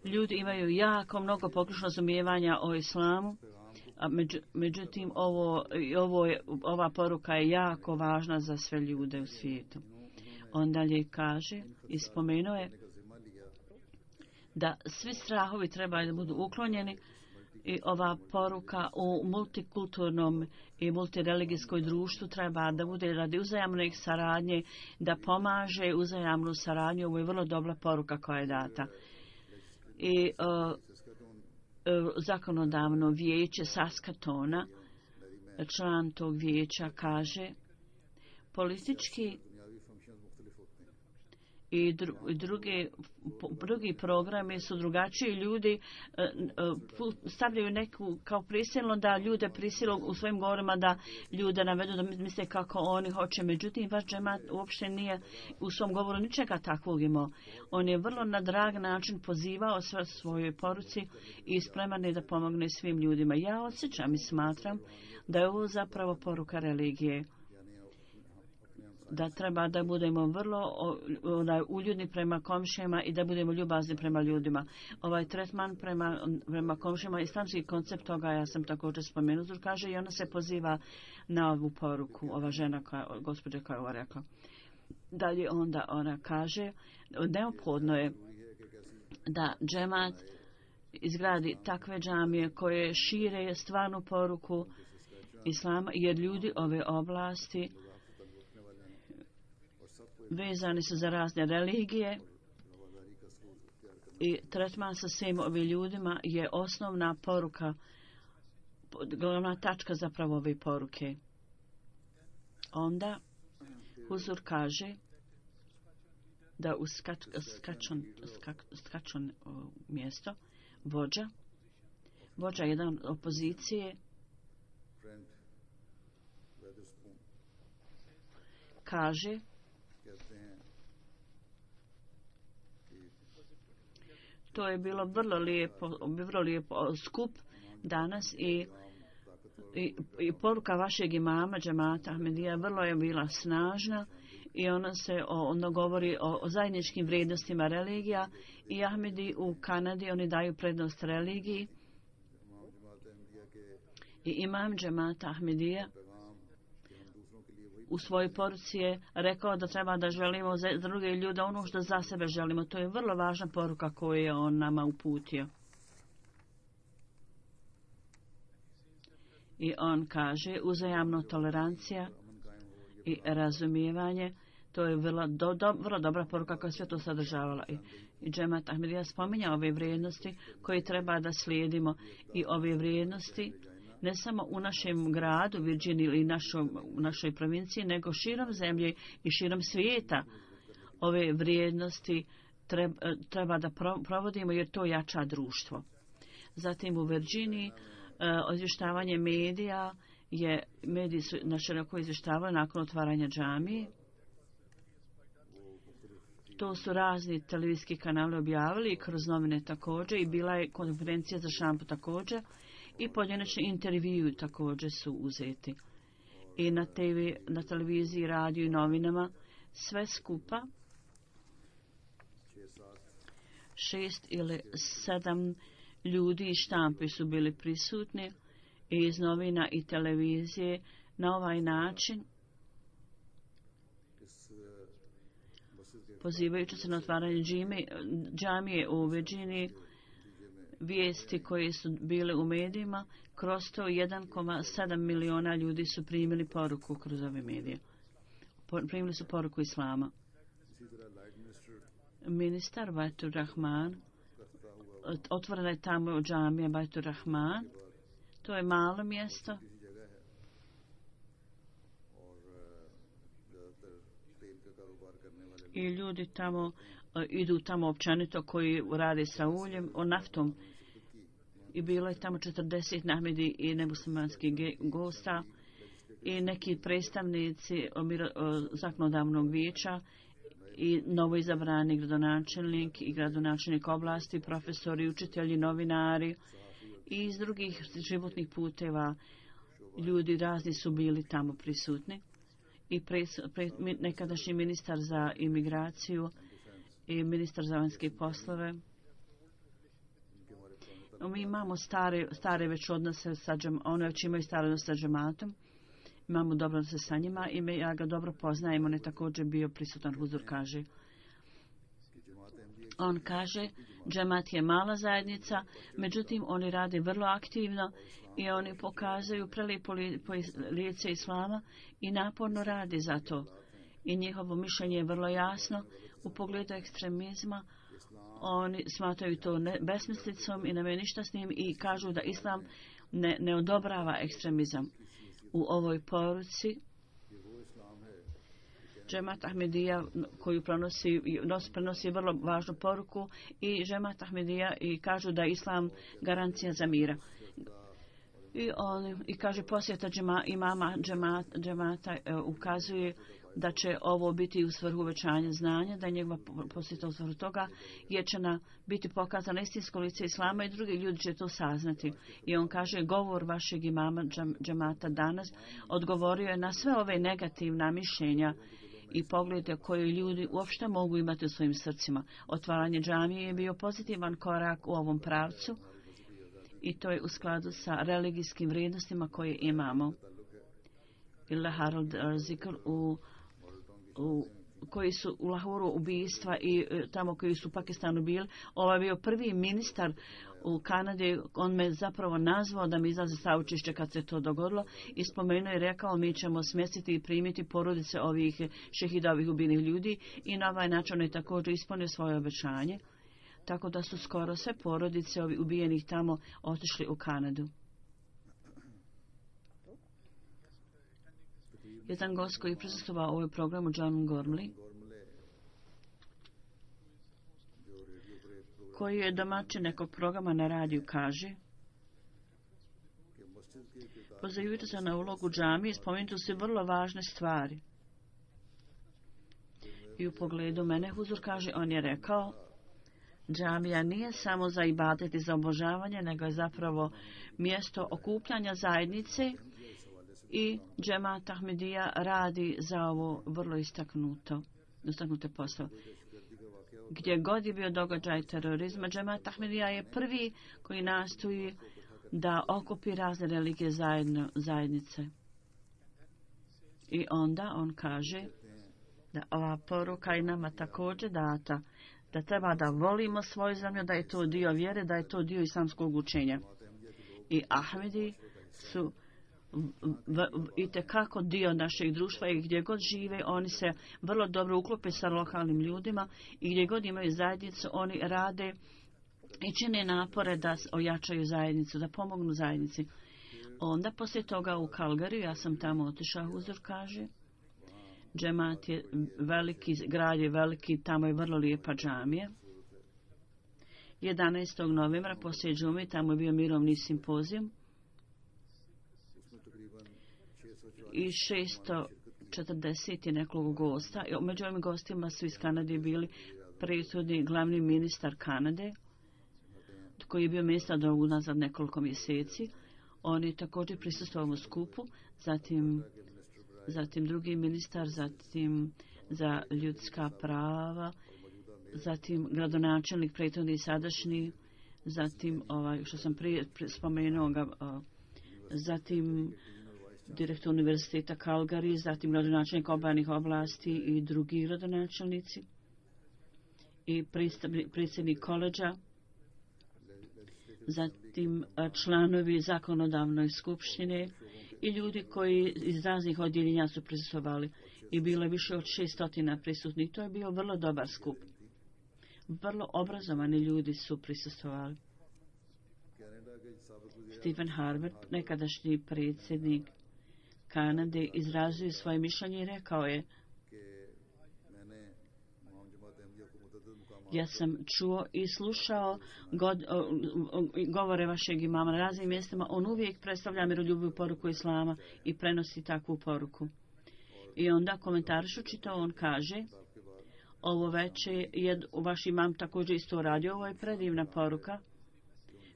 ljudi imaju jako mnogo pogrešno razumijevanja o islamu, a među, međutim ovo, ovo je, ova poruka je jako važna za sve ljude u svijetu. On dalje kaže i spomenuo je da svi strahovi trebaju da budu uklonjeni i ova poruka u multikulturnom i multireligijskoj društvu treba da bude radi uzajamne saradnje, da pomaže uzajamnu saradnju. Ovo je vrlo dobra poruka koja je data. I uh, uh, zakonodavno vijeće Saskatona, član tog vijeća kaže politički i druge, drugi programi su drugačiji. Ljudi stavljaju neku kao prisilno da ljude prisilu u svojim govorima da ljude navedu da misle kako oni hoće. Međutim, vaš džemat uopšte nije u svom govoru ničega takvog imao. On je vrlo na drag način pozivao sve svojoj poruci i spreman je da pomogne svim ljudima. Ja osjećam i smatram da je ovo zapravo poruka religije. Da treba da budemo vrlo onaj, uljudni prema komšijama i da budemo ljubazni prema ljudima. Ovaj tretman prema, prema komšijama, islamski koncept toga ja sam također spomenuo, kaže i ona se poziva na ovu poruku, ova žena, koja, gospođa koja je ovo rekla. Dalje onda ona kaže, neophodno je da džemat izgradi takve džamije koje šire stvarnu poruku islama, jer ljudi ove oblasti vezani su za razne religije i tretman sa svim ovim ljudima je osnovna poruka, glavna tačka zapravo ove poruke. Onda Huzur kaže da u skač, skačon, skak, skačon mjesto vođa, vođa jedan opozicije kaže to je bilo vrlo lijepo, vrlo lijepo skup danas i, i, i poruka vašeg imama džemata Ahmedija vrlo je bila snažna i ona se ono govori o, o zajedničkim vrijednostima religija i Ahmedi u Kanadi oni daju prednost religiji i imam džemata Ahmedija u svojoj poruci je rekao da treba da želimo za druge ljude ono što za sebe želimo. To je vrlo važna poruka koju je on nama uputio. I on kaže, uzajamno tolerancija i razumijevanje, to je vrlo, do, do, vrlo dobra poruka koja sve to sadržavala. I, i Džemat Ahmedija spominja ove vrijednosti koje treba da slijedimo i ove vrijednosti ne samo u našem gradu, Virginiji ili našoj, našoj provinciji, nego širom zemlje i širom svijeta. Ove vrijednosti treba, treba da provodimo jer to jača društvo. Zatim u Virginiji izvještavanje medija je, mediji su naširoko izvještavali nakon otvaranja džamije. To su razni televizijski kanali objavili i kroz novine također i bila je konferencija za šampu također i pojedinačni intervju također su uzeti. I na, te ve, na televiziji, radiju i novinama sve skupa šest ili sedam ljudi iz štampe su bili prisutni i iz novina i televizije na ovaj način pozivajući se na otvaranje džamije u Virginiji, vijesti koje su bile u medijima, kroz to jedan zarez sedam miliona ljudi su primili poruku kroz ove medije. Primili su poruku islama. Ministar Baitur Rahman, otvorena je tamo džamija Baitur Rahman, to je malo mjesto. I ljudi tamo uh, idu tamo općenito koji rade sa uljem, o naftom. I bilo je tamo četrdeset nahmedi i nemuslimanskih gosta i neki predstavnici omiro, o, zakonodavnog vijeća i novoizabrani gradonačelnik i gradonačelnik oblasti, profesori, učitelji, novinari i iz drugih životnih puteva ljudi razni su bili tamo prisutni. I pre, pre, nekadašnji ministar za imigraciju i ministar za vanjske poslove. Mi imamo stare, stare već odnose sa džem, one već imaju stare odnose sa džematom. Imamo dobro odnose sa njima i me, ja ga dobro poznajem. On je također bio prisutan, Huzur kaže. On kaže, džemat je mala zajednica, međutim oni rade vrlo aktivno i oni pokazuju prelijepo lice islama i naporno radi za to. I njihovo mišljenje je vrlo jasno u pogledu ekstremizma. Oni smatraju to ne, besmislicom i nema ništa s njim i kažu da islam ne, ne odobrava ekstremizam. U ovoj poruci Džemat Ahmedija koju prenosi, prenosi vrlo važnu poruku i Džemat Ahmedija i kažu da je islam garancija za mira. I, on, i kaže posjeta džema, imama džemat, džemata e, ukazuje da će ovo biti u svrhu uvećanja znanja, da je njegova posjeta u svrhu toga, jer će na biti pokazano istinsko lice islama i drugi ljudi će to saznati. I on kaže, govor vašeg imama džem, džemata danas odgovorio je na sve ove negativna mišljenja i poglede koje ljudi uopšte mogu imati u svojim srcima. Otvaranje džamije je bio pozitivan korak u ovom pravcu i to je u skladu sa religijskim vrijednostima koje imamo. Ila Harold Zikr u, u koji su u Lahuru ubijstva i tamo koji su u Pakistanu bili. Ovo je bio prvi ministar u Kanadi. On me zapravo nazvao da mi izlaze saučišće kad se to dogodilo i spomenuo i rekao mi ćemo smjestiti i primiti porodice ovih šehidovih ubijenih ljudi i na ovaj način on je također ispunio svoje obećanje. Tako da su skoro sve porodice ovih ubijenih tamo otišli u Kanadu. Jedan gost koji je prisustvovao ovoj programu, John Gormley, koji je domaćin nekog programa na radiju, kaže, pozivajući se na ulogu džamije, spomenuti su vrlo važne stvari. I u pogledu mene, Huzur kaže, on je rekao, džamija nije samo za ibadet i za obožavanje, nego je zapravo mjesto okupljanja zajednice i Džemat Ahmedija radi za ovo vrlo istaknuto, istaknute poslove. Gdje god je bio događaj terorizma, Džemat Ahmedija je prvi koji nastoji da okupi razne religije zajedno, zajednice. I onda on kaže da ova poruka i nama također data, da treba da volimo svoju zemlju, da je to dio vjere, da je to dio islamskog učenja. I Ahmedi su i tekako dio našeg društva i gdje god žive oni se vrlo dobro uklope sa lokalnim ljudima i gdje god imaju zajednicu oni rade i čine napore da ojačaju zajednicu, da pomognu zajednici. Onda poslije toga u Calgary, ja sam tamo otišao, Huzur kaže, džemat je veliki, grad je veliki, tamo je vrlo lijepa džamija. jedanaestog novembra poslije džume tamo je bio mirovni simpozijum i šesto četrdeset je nekog gosta. Među ovim gostima su iz Kanade bili prethodni glavni ministar Kanade, koji je bio ministar do unazad nekoliko mjeseci. On je također prisustvovao u skupu, zatim, zatim drugi ministar, zatim za ljudska prava, zatim gradonačelnik prethodni i sadašnji, zatim ovaj što sam prije spomenuo ga, zatim direktor univerziteta Calgary, zatim gradonačelnik obalnih oblasti i drugi gradonačelnici i predsjednik koleđa, zatim članovi zakonodavne skupštine i ljudi koji iz raznih odjeljenja su prisustvovali i bilo je više od šestotina prisutnih. To je bio vrlo dobar skup. Vrlo obrazovani ljudi su prisustvovali. Stephen Harper, nekadašnji predsjednik Kanade, izrazio svoje mišljenje i rekao je: ja sam čuo i slušao god, o, o, govore vašeg imama na raznim mjestima. On uvijek predstavlja miroljubivu poruku islama i prenosi takvu poruku. I onda komentarišući to on kaže: ovo veče je vaš imam također isto radio. Ovo je predivna poruka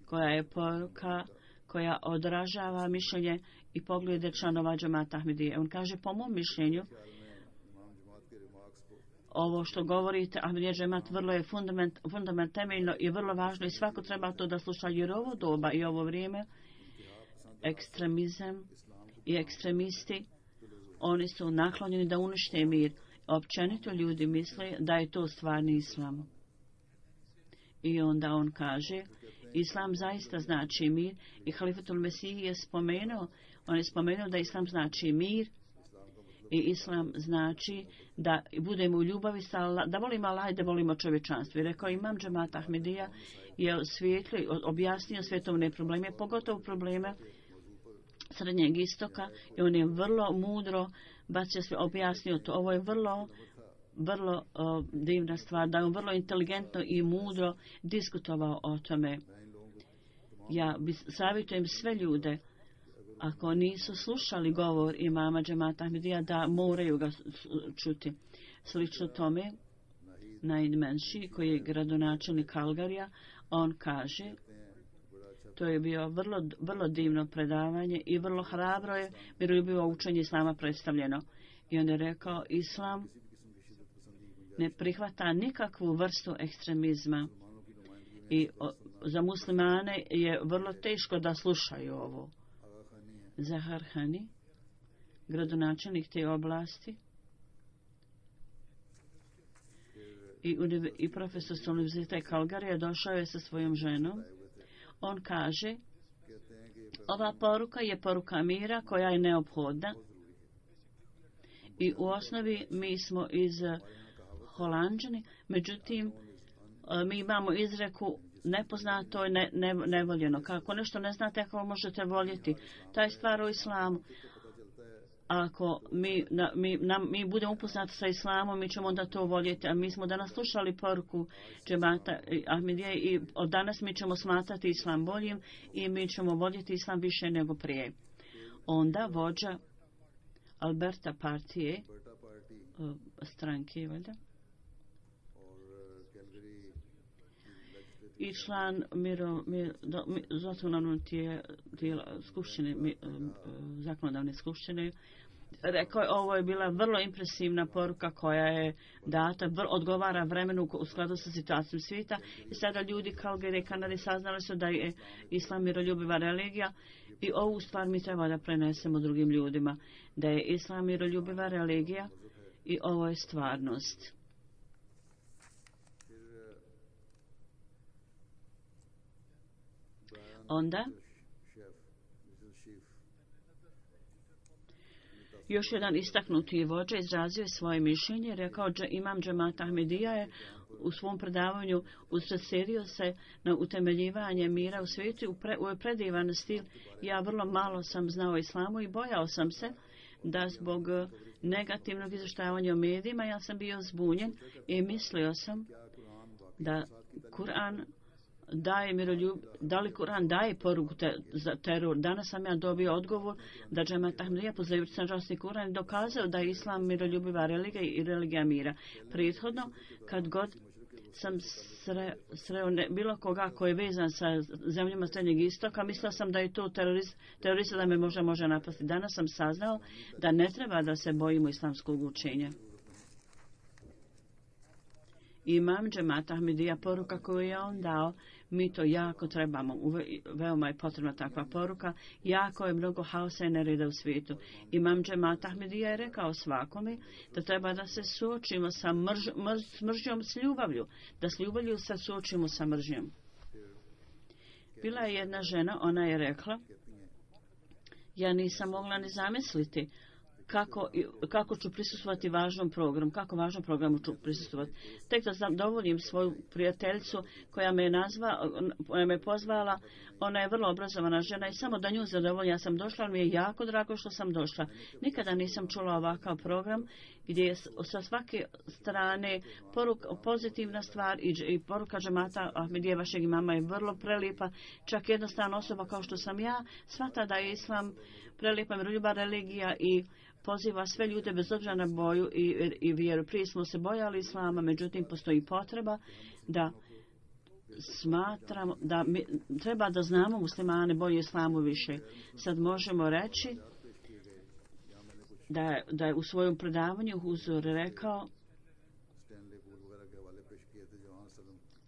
koja je poruka koja odražava mišljenje i poglede članova džemata Ahmedije. On kaže: po mom mišljenju ovo što govorite, Ahmedija džemat, vrlo je fundament, fundament temeljno i vrlo važno i svako treba to da sluša, jer ovo doba i ovo vrijeme ekstremizam i ekstremisti oni su naklonjeni da unište mir. Općenito ljudi misle da je to stvarni islam. I onda on kaže: islam zaista znači mir i Halifatul Mesih je spomenuo, on je spomenuo da islam znači mir i islam znači da budemo u ljubavi sa Allah, da volimo Allah i da volimo čovječanstvo. I rekao imam džemat Ahmedija je osvijetlio, objasnio svjetovne probleme, pogotovo probleme Srednjeg istoka i on je vrlo mudro bacio sve, objasnio to. Ovo je vrlo vrlo uh, divna stvar, da je on vrlo inteligentno i mudro diskutovao o tome. Ja savjetujem sve ljude, ako nisu slušali govor imama džemata Ahmedija, da moraju ga čuti. Slično tome, Naid Menši, koji je gradonačelnik Calgaryja, on kaže: to je bio vrlo, vrlo divno predavanje i vrlo hrabro je miroljubivo učenje islama predstavljeno. I on je rekao: islam ne prihvata nikakvu vrstu ekstremizma i o, za muslimane je vrlo teško da slušaju ovo. Zahar Hani, gradonačelnik te oblasti i, i profesor s univerziteta Calgaryja, došao je sa svojom ženom. On kaže: ova poruka je poruka mira koja je neophodna i u osnovi mi smo iz Holanđani, međutim mi imamo izreku nepoznato je ne, ne, nevoljeno. Kako nešto ne znate, kako možete voljeti. Ta je stvar u islamu. Ako mi, na, mi, na, mi budemo upoznati sa islamom, mi ćemo onda to voljeti. A mi smo danas slušali poruku džemata Ahmedije i od danas mi ćemo smatrati islam boljim i mi ćemo voljeti islam više nego prije. Onda vođa Alberta partije, stranke, valjda, i član miro, mir, do, mi, zakonodavne tijela skupštine, mi, zakonodavne skupštine, rekao je: ovo je bila vrlo impresivna poruka koja je data, vr, odgovara vremenu u skladu sa situacijom svijeta. I sada ljudi Calgary i Kanade saznali su da je islam miroljubiva religija i ovu stvar mi treba da prenesemo drugim ljudima, da je islam miroljubiva religija i ovo je stvarnost. Onda Još jedan istaknuti vođa izrazio je svoje mišljenje, rekao da imam džemat Ahmedija je u svom predavanju usredsredio se na utemeljivanje mira u svijetu u, pre, u predivan stil. Ja vrlo malo sam znao o islamu i bojao sam se da zbog negativnog izvještavanja o medijima ja sam bio zbunjen i mislio sam da Kur'an daje miroljub, da li Kur'an daje poruku te, za teror. Danas sam ja dobio odgovor da džemat Ahmedija pozivajući se na časni Kur'an dokazao da je islam miroljubiva religija i religija mira. Prethodno, kad god sam sre, sreo ne, bilo koga koji je vezan sa zemljama Srednjeg istoka, mislila sam da je to terorist, terorista da me možda može napasti. Danas sam saznao da ne treba da se bojimo islamskog učenja. Imam džemat Ahmedija, poruka koju je on dao, mi to jako trebamo, veoma je potrebna takva poruka, jako je mnogo haosa i nereda u svijetu. Imam džemat Ahmedija je rekao svakome da treba da se suočimo sa mrž, mrž, s mržnjom s ljubavlju, da s ljubavlju se suočimo sa mržnjom. Bila je jedna žena, ona je rekla, ja nisam mogla ni zamisliti Kako, kako ću prisustvovati važnom programu, kako važnom programu ću prisustvovati. Tek da zadovoljim svoju prijateljicu koja me je nazva, koja me je pozvala, ona je vrlo obrazovana žena i samo da nju zadovoljim, ja sam došla, ali mi je jako drago što sam došla. Nikada nisam čula ovakav program gdje je sa svake strane poruka, pozitivna stvar i, i poruka džemata Ahmedije vašeg imama je vrlo prelijepa. Čak jednostavna osoba kao što sam ja shvata da je islam prelijepa miroljubiva religija i poziva sve ljude bez obzira na boju i, i vjeru. Prije smo se bojali islama, međutim postoji potreba da smatramo da mi, treba da znamo muslimane bolje islamu više. Sad možemo reći da je, da je u svojom predavanju Huzur rekao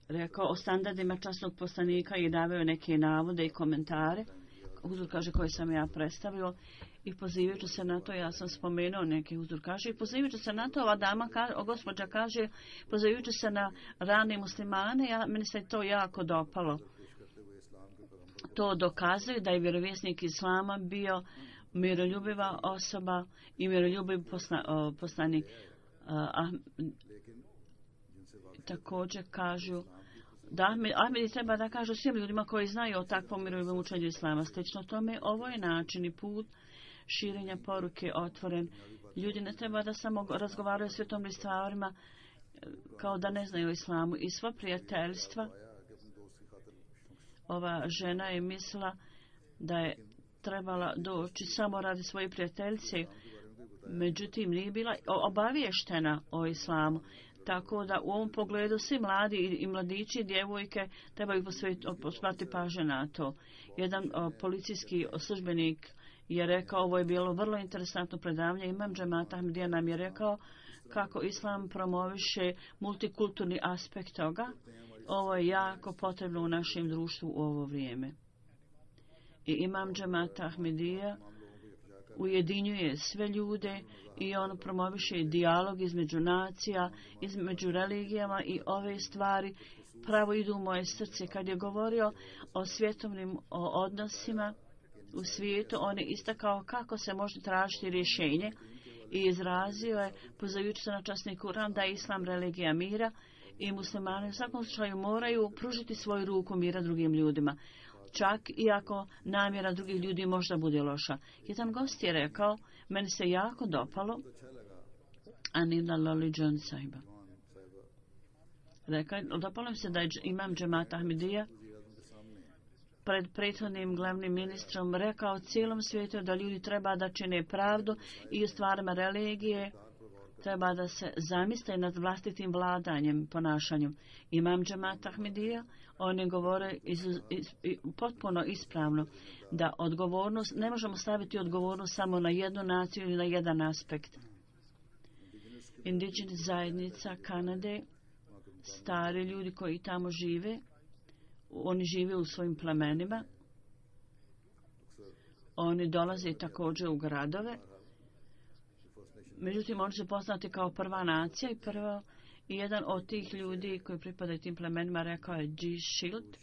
rekao o standardima časnog poslanika i davao neke navode i komentare. Huzur kaže koje sam ja predstavio i pozivajući se na to, ja sam spomenuo neki Huzur kaže i pozivajući se na to, ova dama, kaže, o gospođa kaže, pozivajući se na rane muslimane, ja, meni se to jako dopalo. To dokazuje da je vjerovjesnik islama bio miroljubiva osoba i miroljubiv posla, o, poslanik. A, također kažu da Ahmed, Ahmedi treba da kažu svim ljudima koji znaju o takvom miroljubivom učenju islama. Slično tome, ovo je način i put širenja poruke otvoren. Ljudi ne treba da samo razgovaraju o svetom stvarima kao da ne znaju o islamu. I sva prijateljstva, ova žena je mislila da je trebala doći samo radi svoje prijateljice, međutim nije bila obaviještena o islamu. Tako da u ovom pogledu svi mladi i mladići i djevojke trebaju posvetiti pažnju na to. Jedan o, policijski službenik je rekao, ovo je bilo vrlo interesantno predavanje, imam džemat Ahmedija nam je rekao kako islam promoviše multikulturni aspekt toga. Ovo je jako potrebno u našem društvu u ovo vrijeme. I imam džemat Ahmedija ujedinjuje sve ljude i on promoviše dijalog između nacija, između religijama i ove stvari pravo idu u moje srce. Kad je govorio o svjetovnim o odnosima u svijetu, on je istakao kako se može tražiti rješenje i izrazio je, pozivajući se na časni Kur'an, da je islam religija mira i muslimani u svakom slučaju moraju pružiti svoju ruku mira drugim ljudima. Čak i ako namjera drugih ljudi možda bude loša. Jedan gost je rekao, meni se jako dopalo Anila Loli John Saiba. Rekao, dopalo mi se da je imam džemat Ahmedija pred prethodnim glavnim ministrom rekao cijelom svijetu da ljudi treba da čine pravdu i u stvarima religije treba da se zamisle nad vlastitim vladanjem, ponašanjem. Imam džemat Ahmedija, oni govore iz, iz, iz, potpuno ispravno da odgovornost, ne možemo staviti odgovornost samo na jednu naciju ili na jedan aspekt. Indigenous zajednica Kanade, stari ljudi koji tamo žive, oni žive u svojim plemenima, oni dolaze također u gradove, međutim oni su poznati kao prva nacija i prvo i jedan od tih ljudi koji pripadaju tim plemenima rekao je G. Shield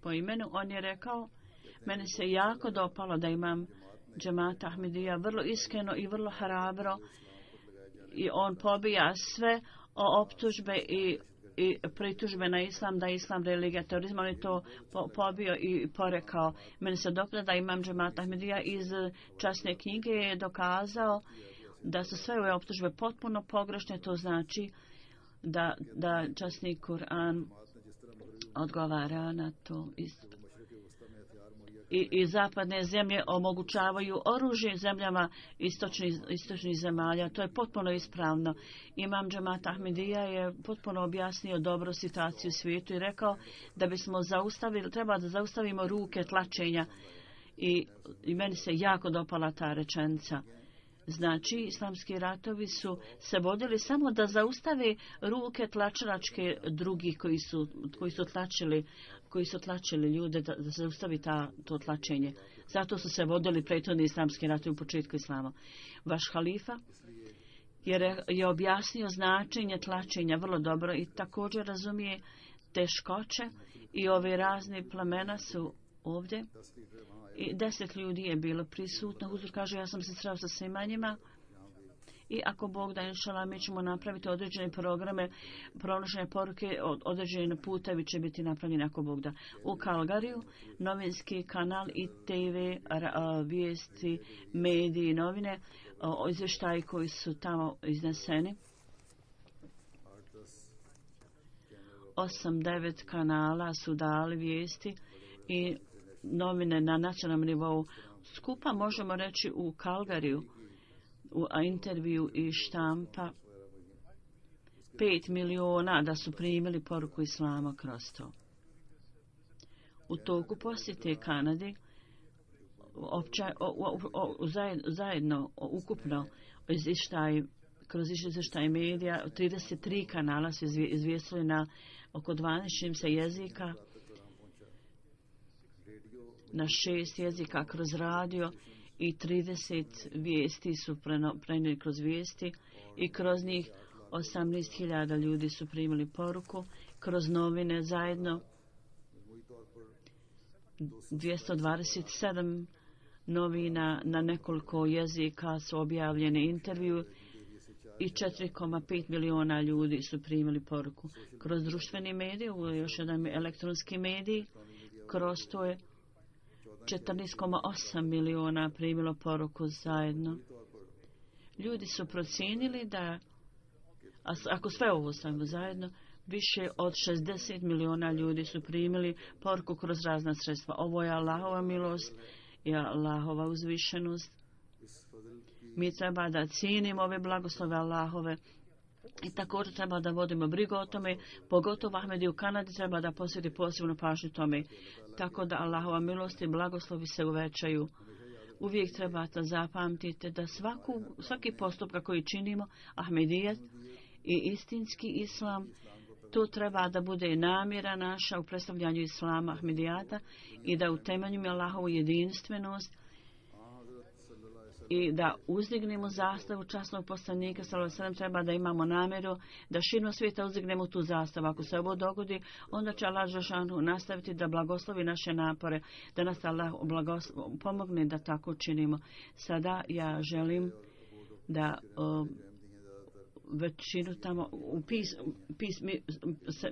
po imenu. On je rekao, meni se jako dopalo da imam džemata Ahmedija vrlo iskreno i vrlo hrabro i on pobija sve optužbe i, i pritužbe na islam, da je islam religija terorizma. On je to po, pobio i porekao. Meni se dopada da imam džemata Ahmedija iz časne knjige je dokazao da su sve ove optužbe potpuno pogrešne. To znači da, da časni Kur'an odgovara na to isto. I, i zapadne zemlje omogućavaju oružje zemljama istočnih, istočnih zemalja. To je potpuno ispravno. Imam džemat Ahmedija je potpuno objasnio dobro situaciju u svijetu i rekao da bismo zaustavili, treba da zaustavimo ruke tlačenja. I, i meni se jako dopala ta rečenica. Znači, islamski ratovi su se vodili samo da zaustave ruke tlačačke drugih koji su, koji su tlačili koji su tlačili ljude da, da se zaustavi ta, to tlačenje. Zato su se vodili prethodni islamski ratovi u početku islama. Vaš halifa je, je objasnio značenje tlačenja vrlo dobro i također razumije teškoće i ove razne plemena su ovdje. I deset ljudi je bilo prisutno. Huzur kaže, ja sam se sreo sa svima njima. I ako Bog da, inšala, mi ćemo napraviti određene programe, pronošenje poruke, određene putevi će biti napravljeni ako Bog da. U Kalgariju, novinski kanal i te ve, vijesti, mediji, novine, izvještaji koji su tamo izneseni. Osam, devet kanala su dali vijesti i novine na nacionalnom nivou. Skupa možemo reći u Kalgariju, u intervju i štampa pet miliona da su primili poruku islama kroz to. U toku posjete Kanadi opća, o, o, o, zajedno ukupno izvještaj, kroz izvještaj medija trideset tri kanala su izvijestili na oko dvanaest se jezika, na šest jezika kroz radio i trideset vijesti su prenijeli kroz vijesti i kroz njih osamnaest hiljada ljudi su primili poruku. Kroz novine zajedno dvjesto dvadeset sedam novina na nekoliko jezika su objavljene intervju i četiri zarez pet miliona ljudi su primili poruku. Kroz društveni medij, još jedan elektronski medij, kroz to je četrnaest zarez osam miliona primilo poruku zajedno. Ljudi su procijenili da, ako sve ovo stavimo zajedno, više od šezdeset miliona ljudi su primili poruku kroz razna sredstva. Ovo je Allahova milost i Allahova uzvišenost. Mi treba da cijenimo ove blagoslove Allahove i također treba da vodimo brigu o tome, pogotovo Ahmedi u Kanadi treba da posveti posebnu pažnju tome, tako da Allahova milost i blagoslovi se uvećaju. Uvijek trebate zapamtiti da svaku, svaki postupak koji činimo, Ahmedijet i istinski islam, to treba da bude namjera naša u predstavljanju islama Ahmedijata i da utemeljimo Allahovu jedinstvenost i da uzdignemo zastavu časnog poslanika sallallahu alejhi ve sellem. Treba da imamo namjeru da širom svijeta uzdignemo tu zastavu. Ako se ovo dogodi, onda će Allah dželešanu nastaviti da blagoslovi naše napore, da nas Allah pomogne da tako činimo. Sada ja želim da uh, većinu tamo u pis, pis mi,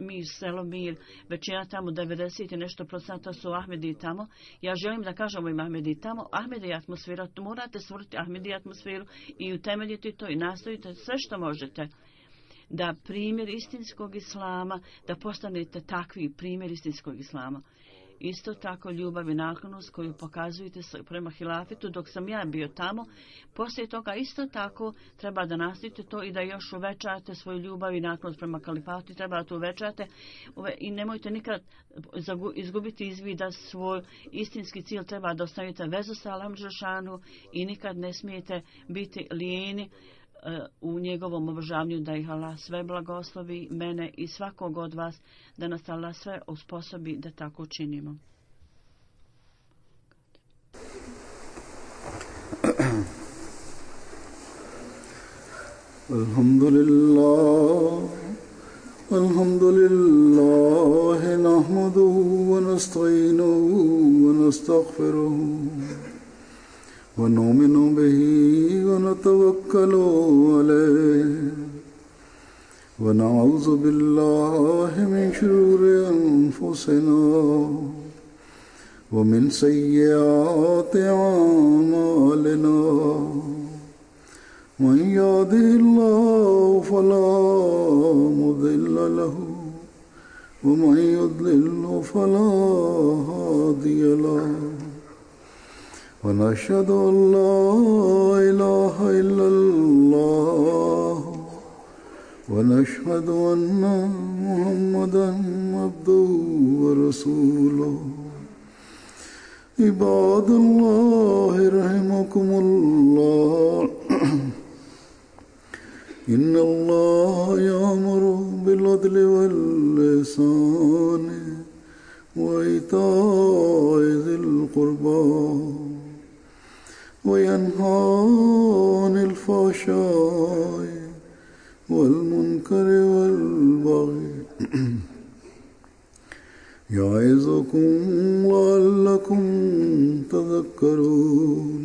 mi selo Mir, većina tamo devedeset i nešto procenta su Ahmedi tamo. Ja želim da kažem im Ahmedi tamo, Ahmedi atmosfera, morate stvoriti Ahmedi atmosferu i utemeljiti to i nastojite sve što možete da primjer istinskog islama, da postanete takvi primjer istinskog islama. Isto tako ljubav i naklonost koju pokazujete prema hilafitu dok sam ja bio tamo. Poslije toga isto tako treba da nastavite to i da još uvećate svoju ljubav i naklonost prema kalifatu. Treba da to uvećate i nemojte nikad izgubiti iz vida svoj istinski cilj. Treba da ostavite vezu sa Allahom dželešanu i nikad ne smijete biti lijeni u njegovom obožavanju, da ih Allah sve blagoslovi, mene i svakog od vas, da nas Allah sve usposobi da tako činimo. Alhamdulillah, alhamdulillah, nahmaduhu wa nasta'inuhu wa nastaghfiruhu ونؤمن به ونتوكل عليه ونعوذ بالله من شرور أنفسنا ومن سيئات أعمالنا من يهده الله فلا مضل له ومن يضلل فلا هادي له ونشهد أن لا إله إلا الله ونشهد أن محمدا عبده ورسوله عباد الله رحمكم الله إن الله يأمر بالعدل والإحسان وإيتاء ذي القربى وينهى عن الفحشاء والمنكر والبغي يعظكم لعلكم تذكرون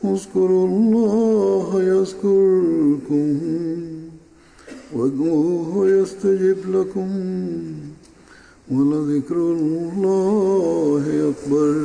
اذكروا الله يذكركم وادعوه يستجب لكم ولذكر الله أكبر.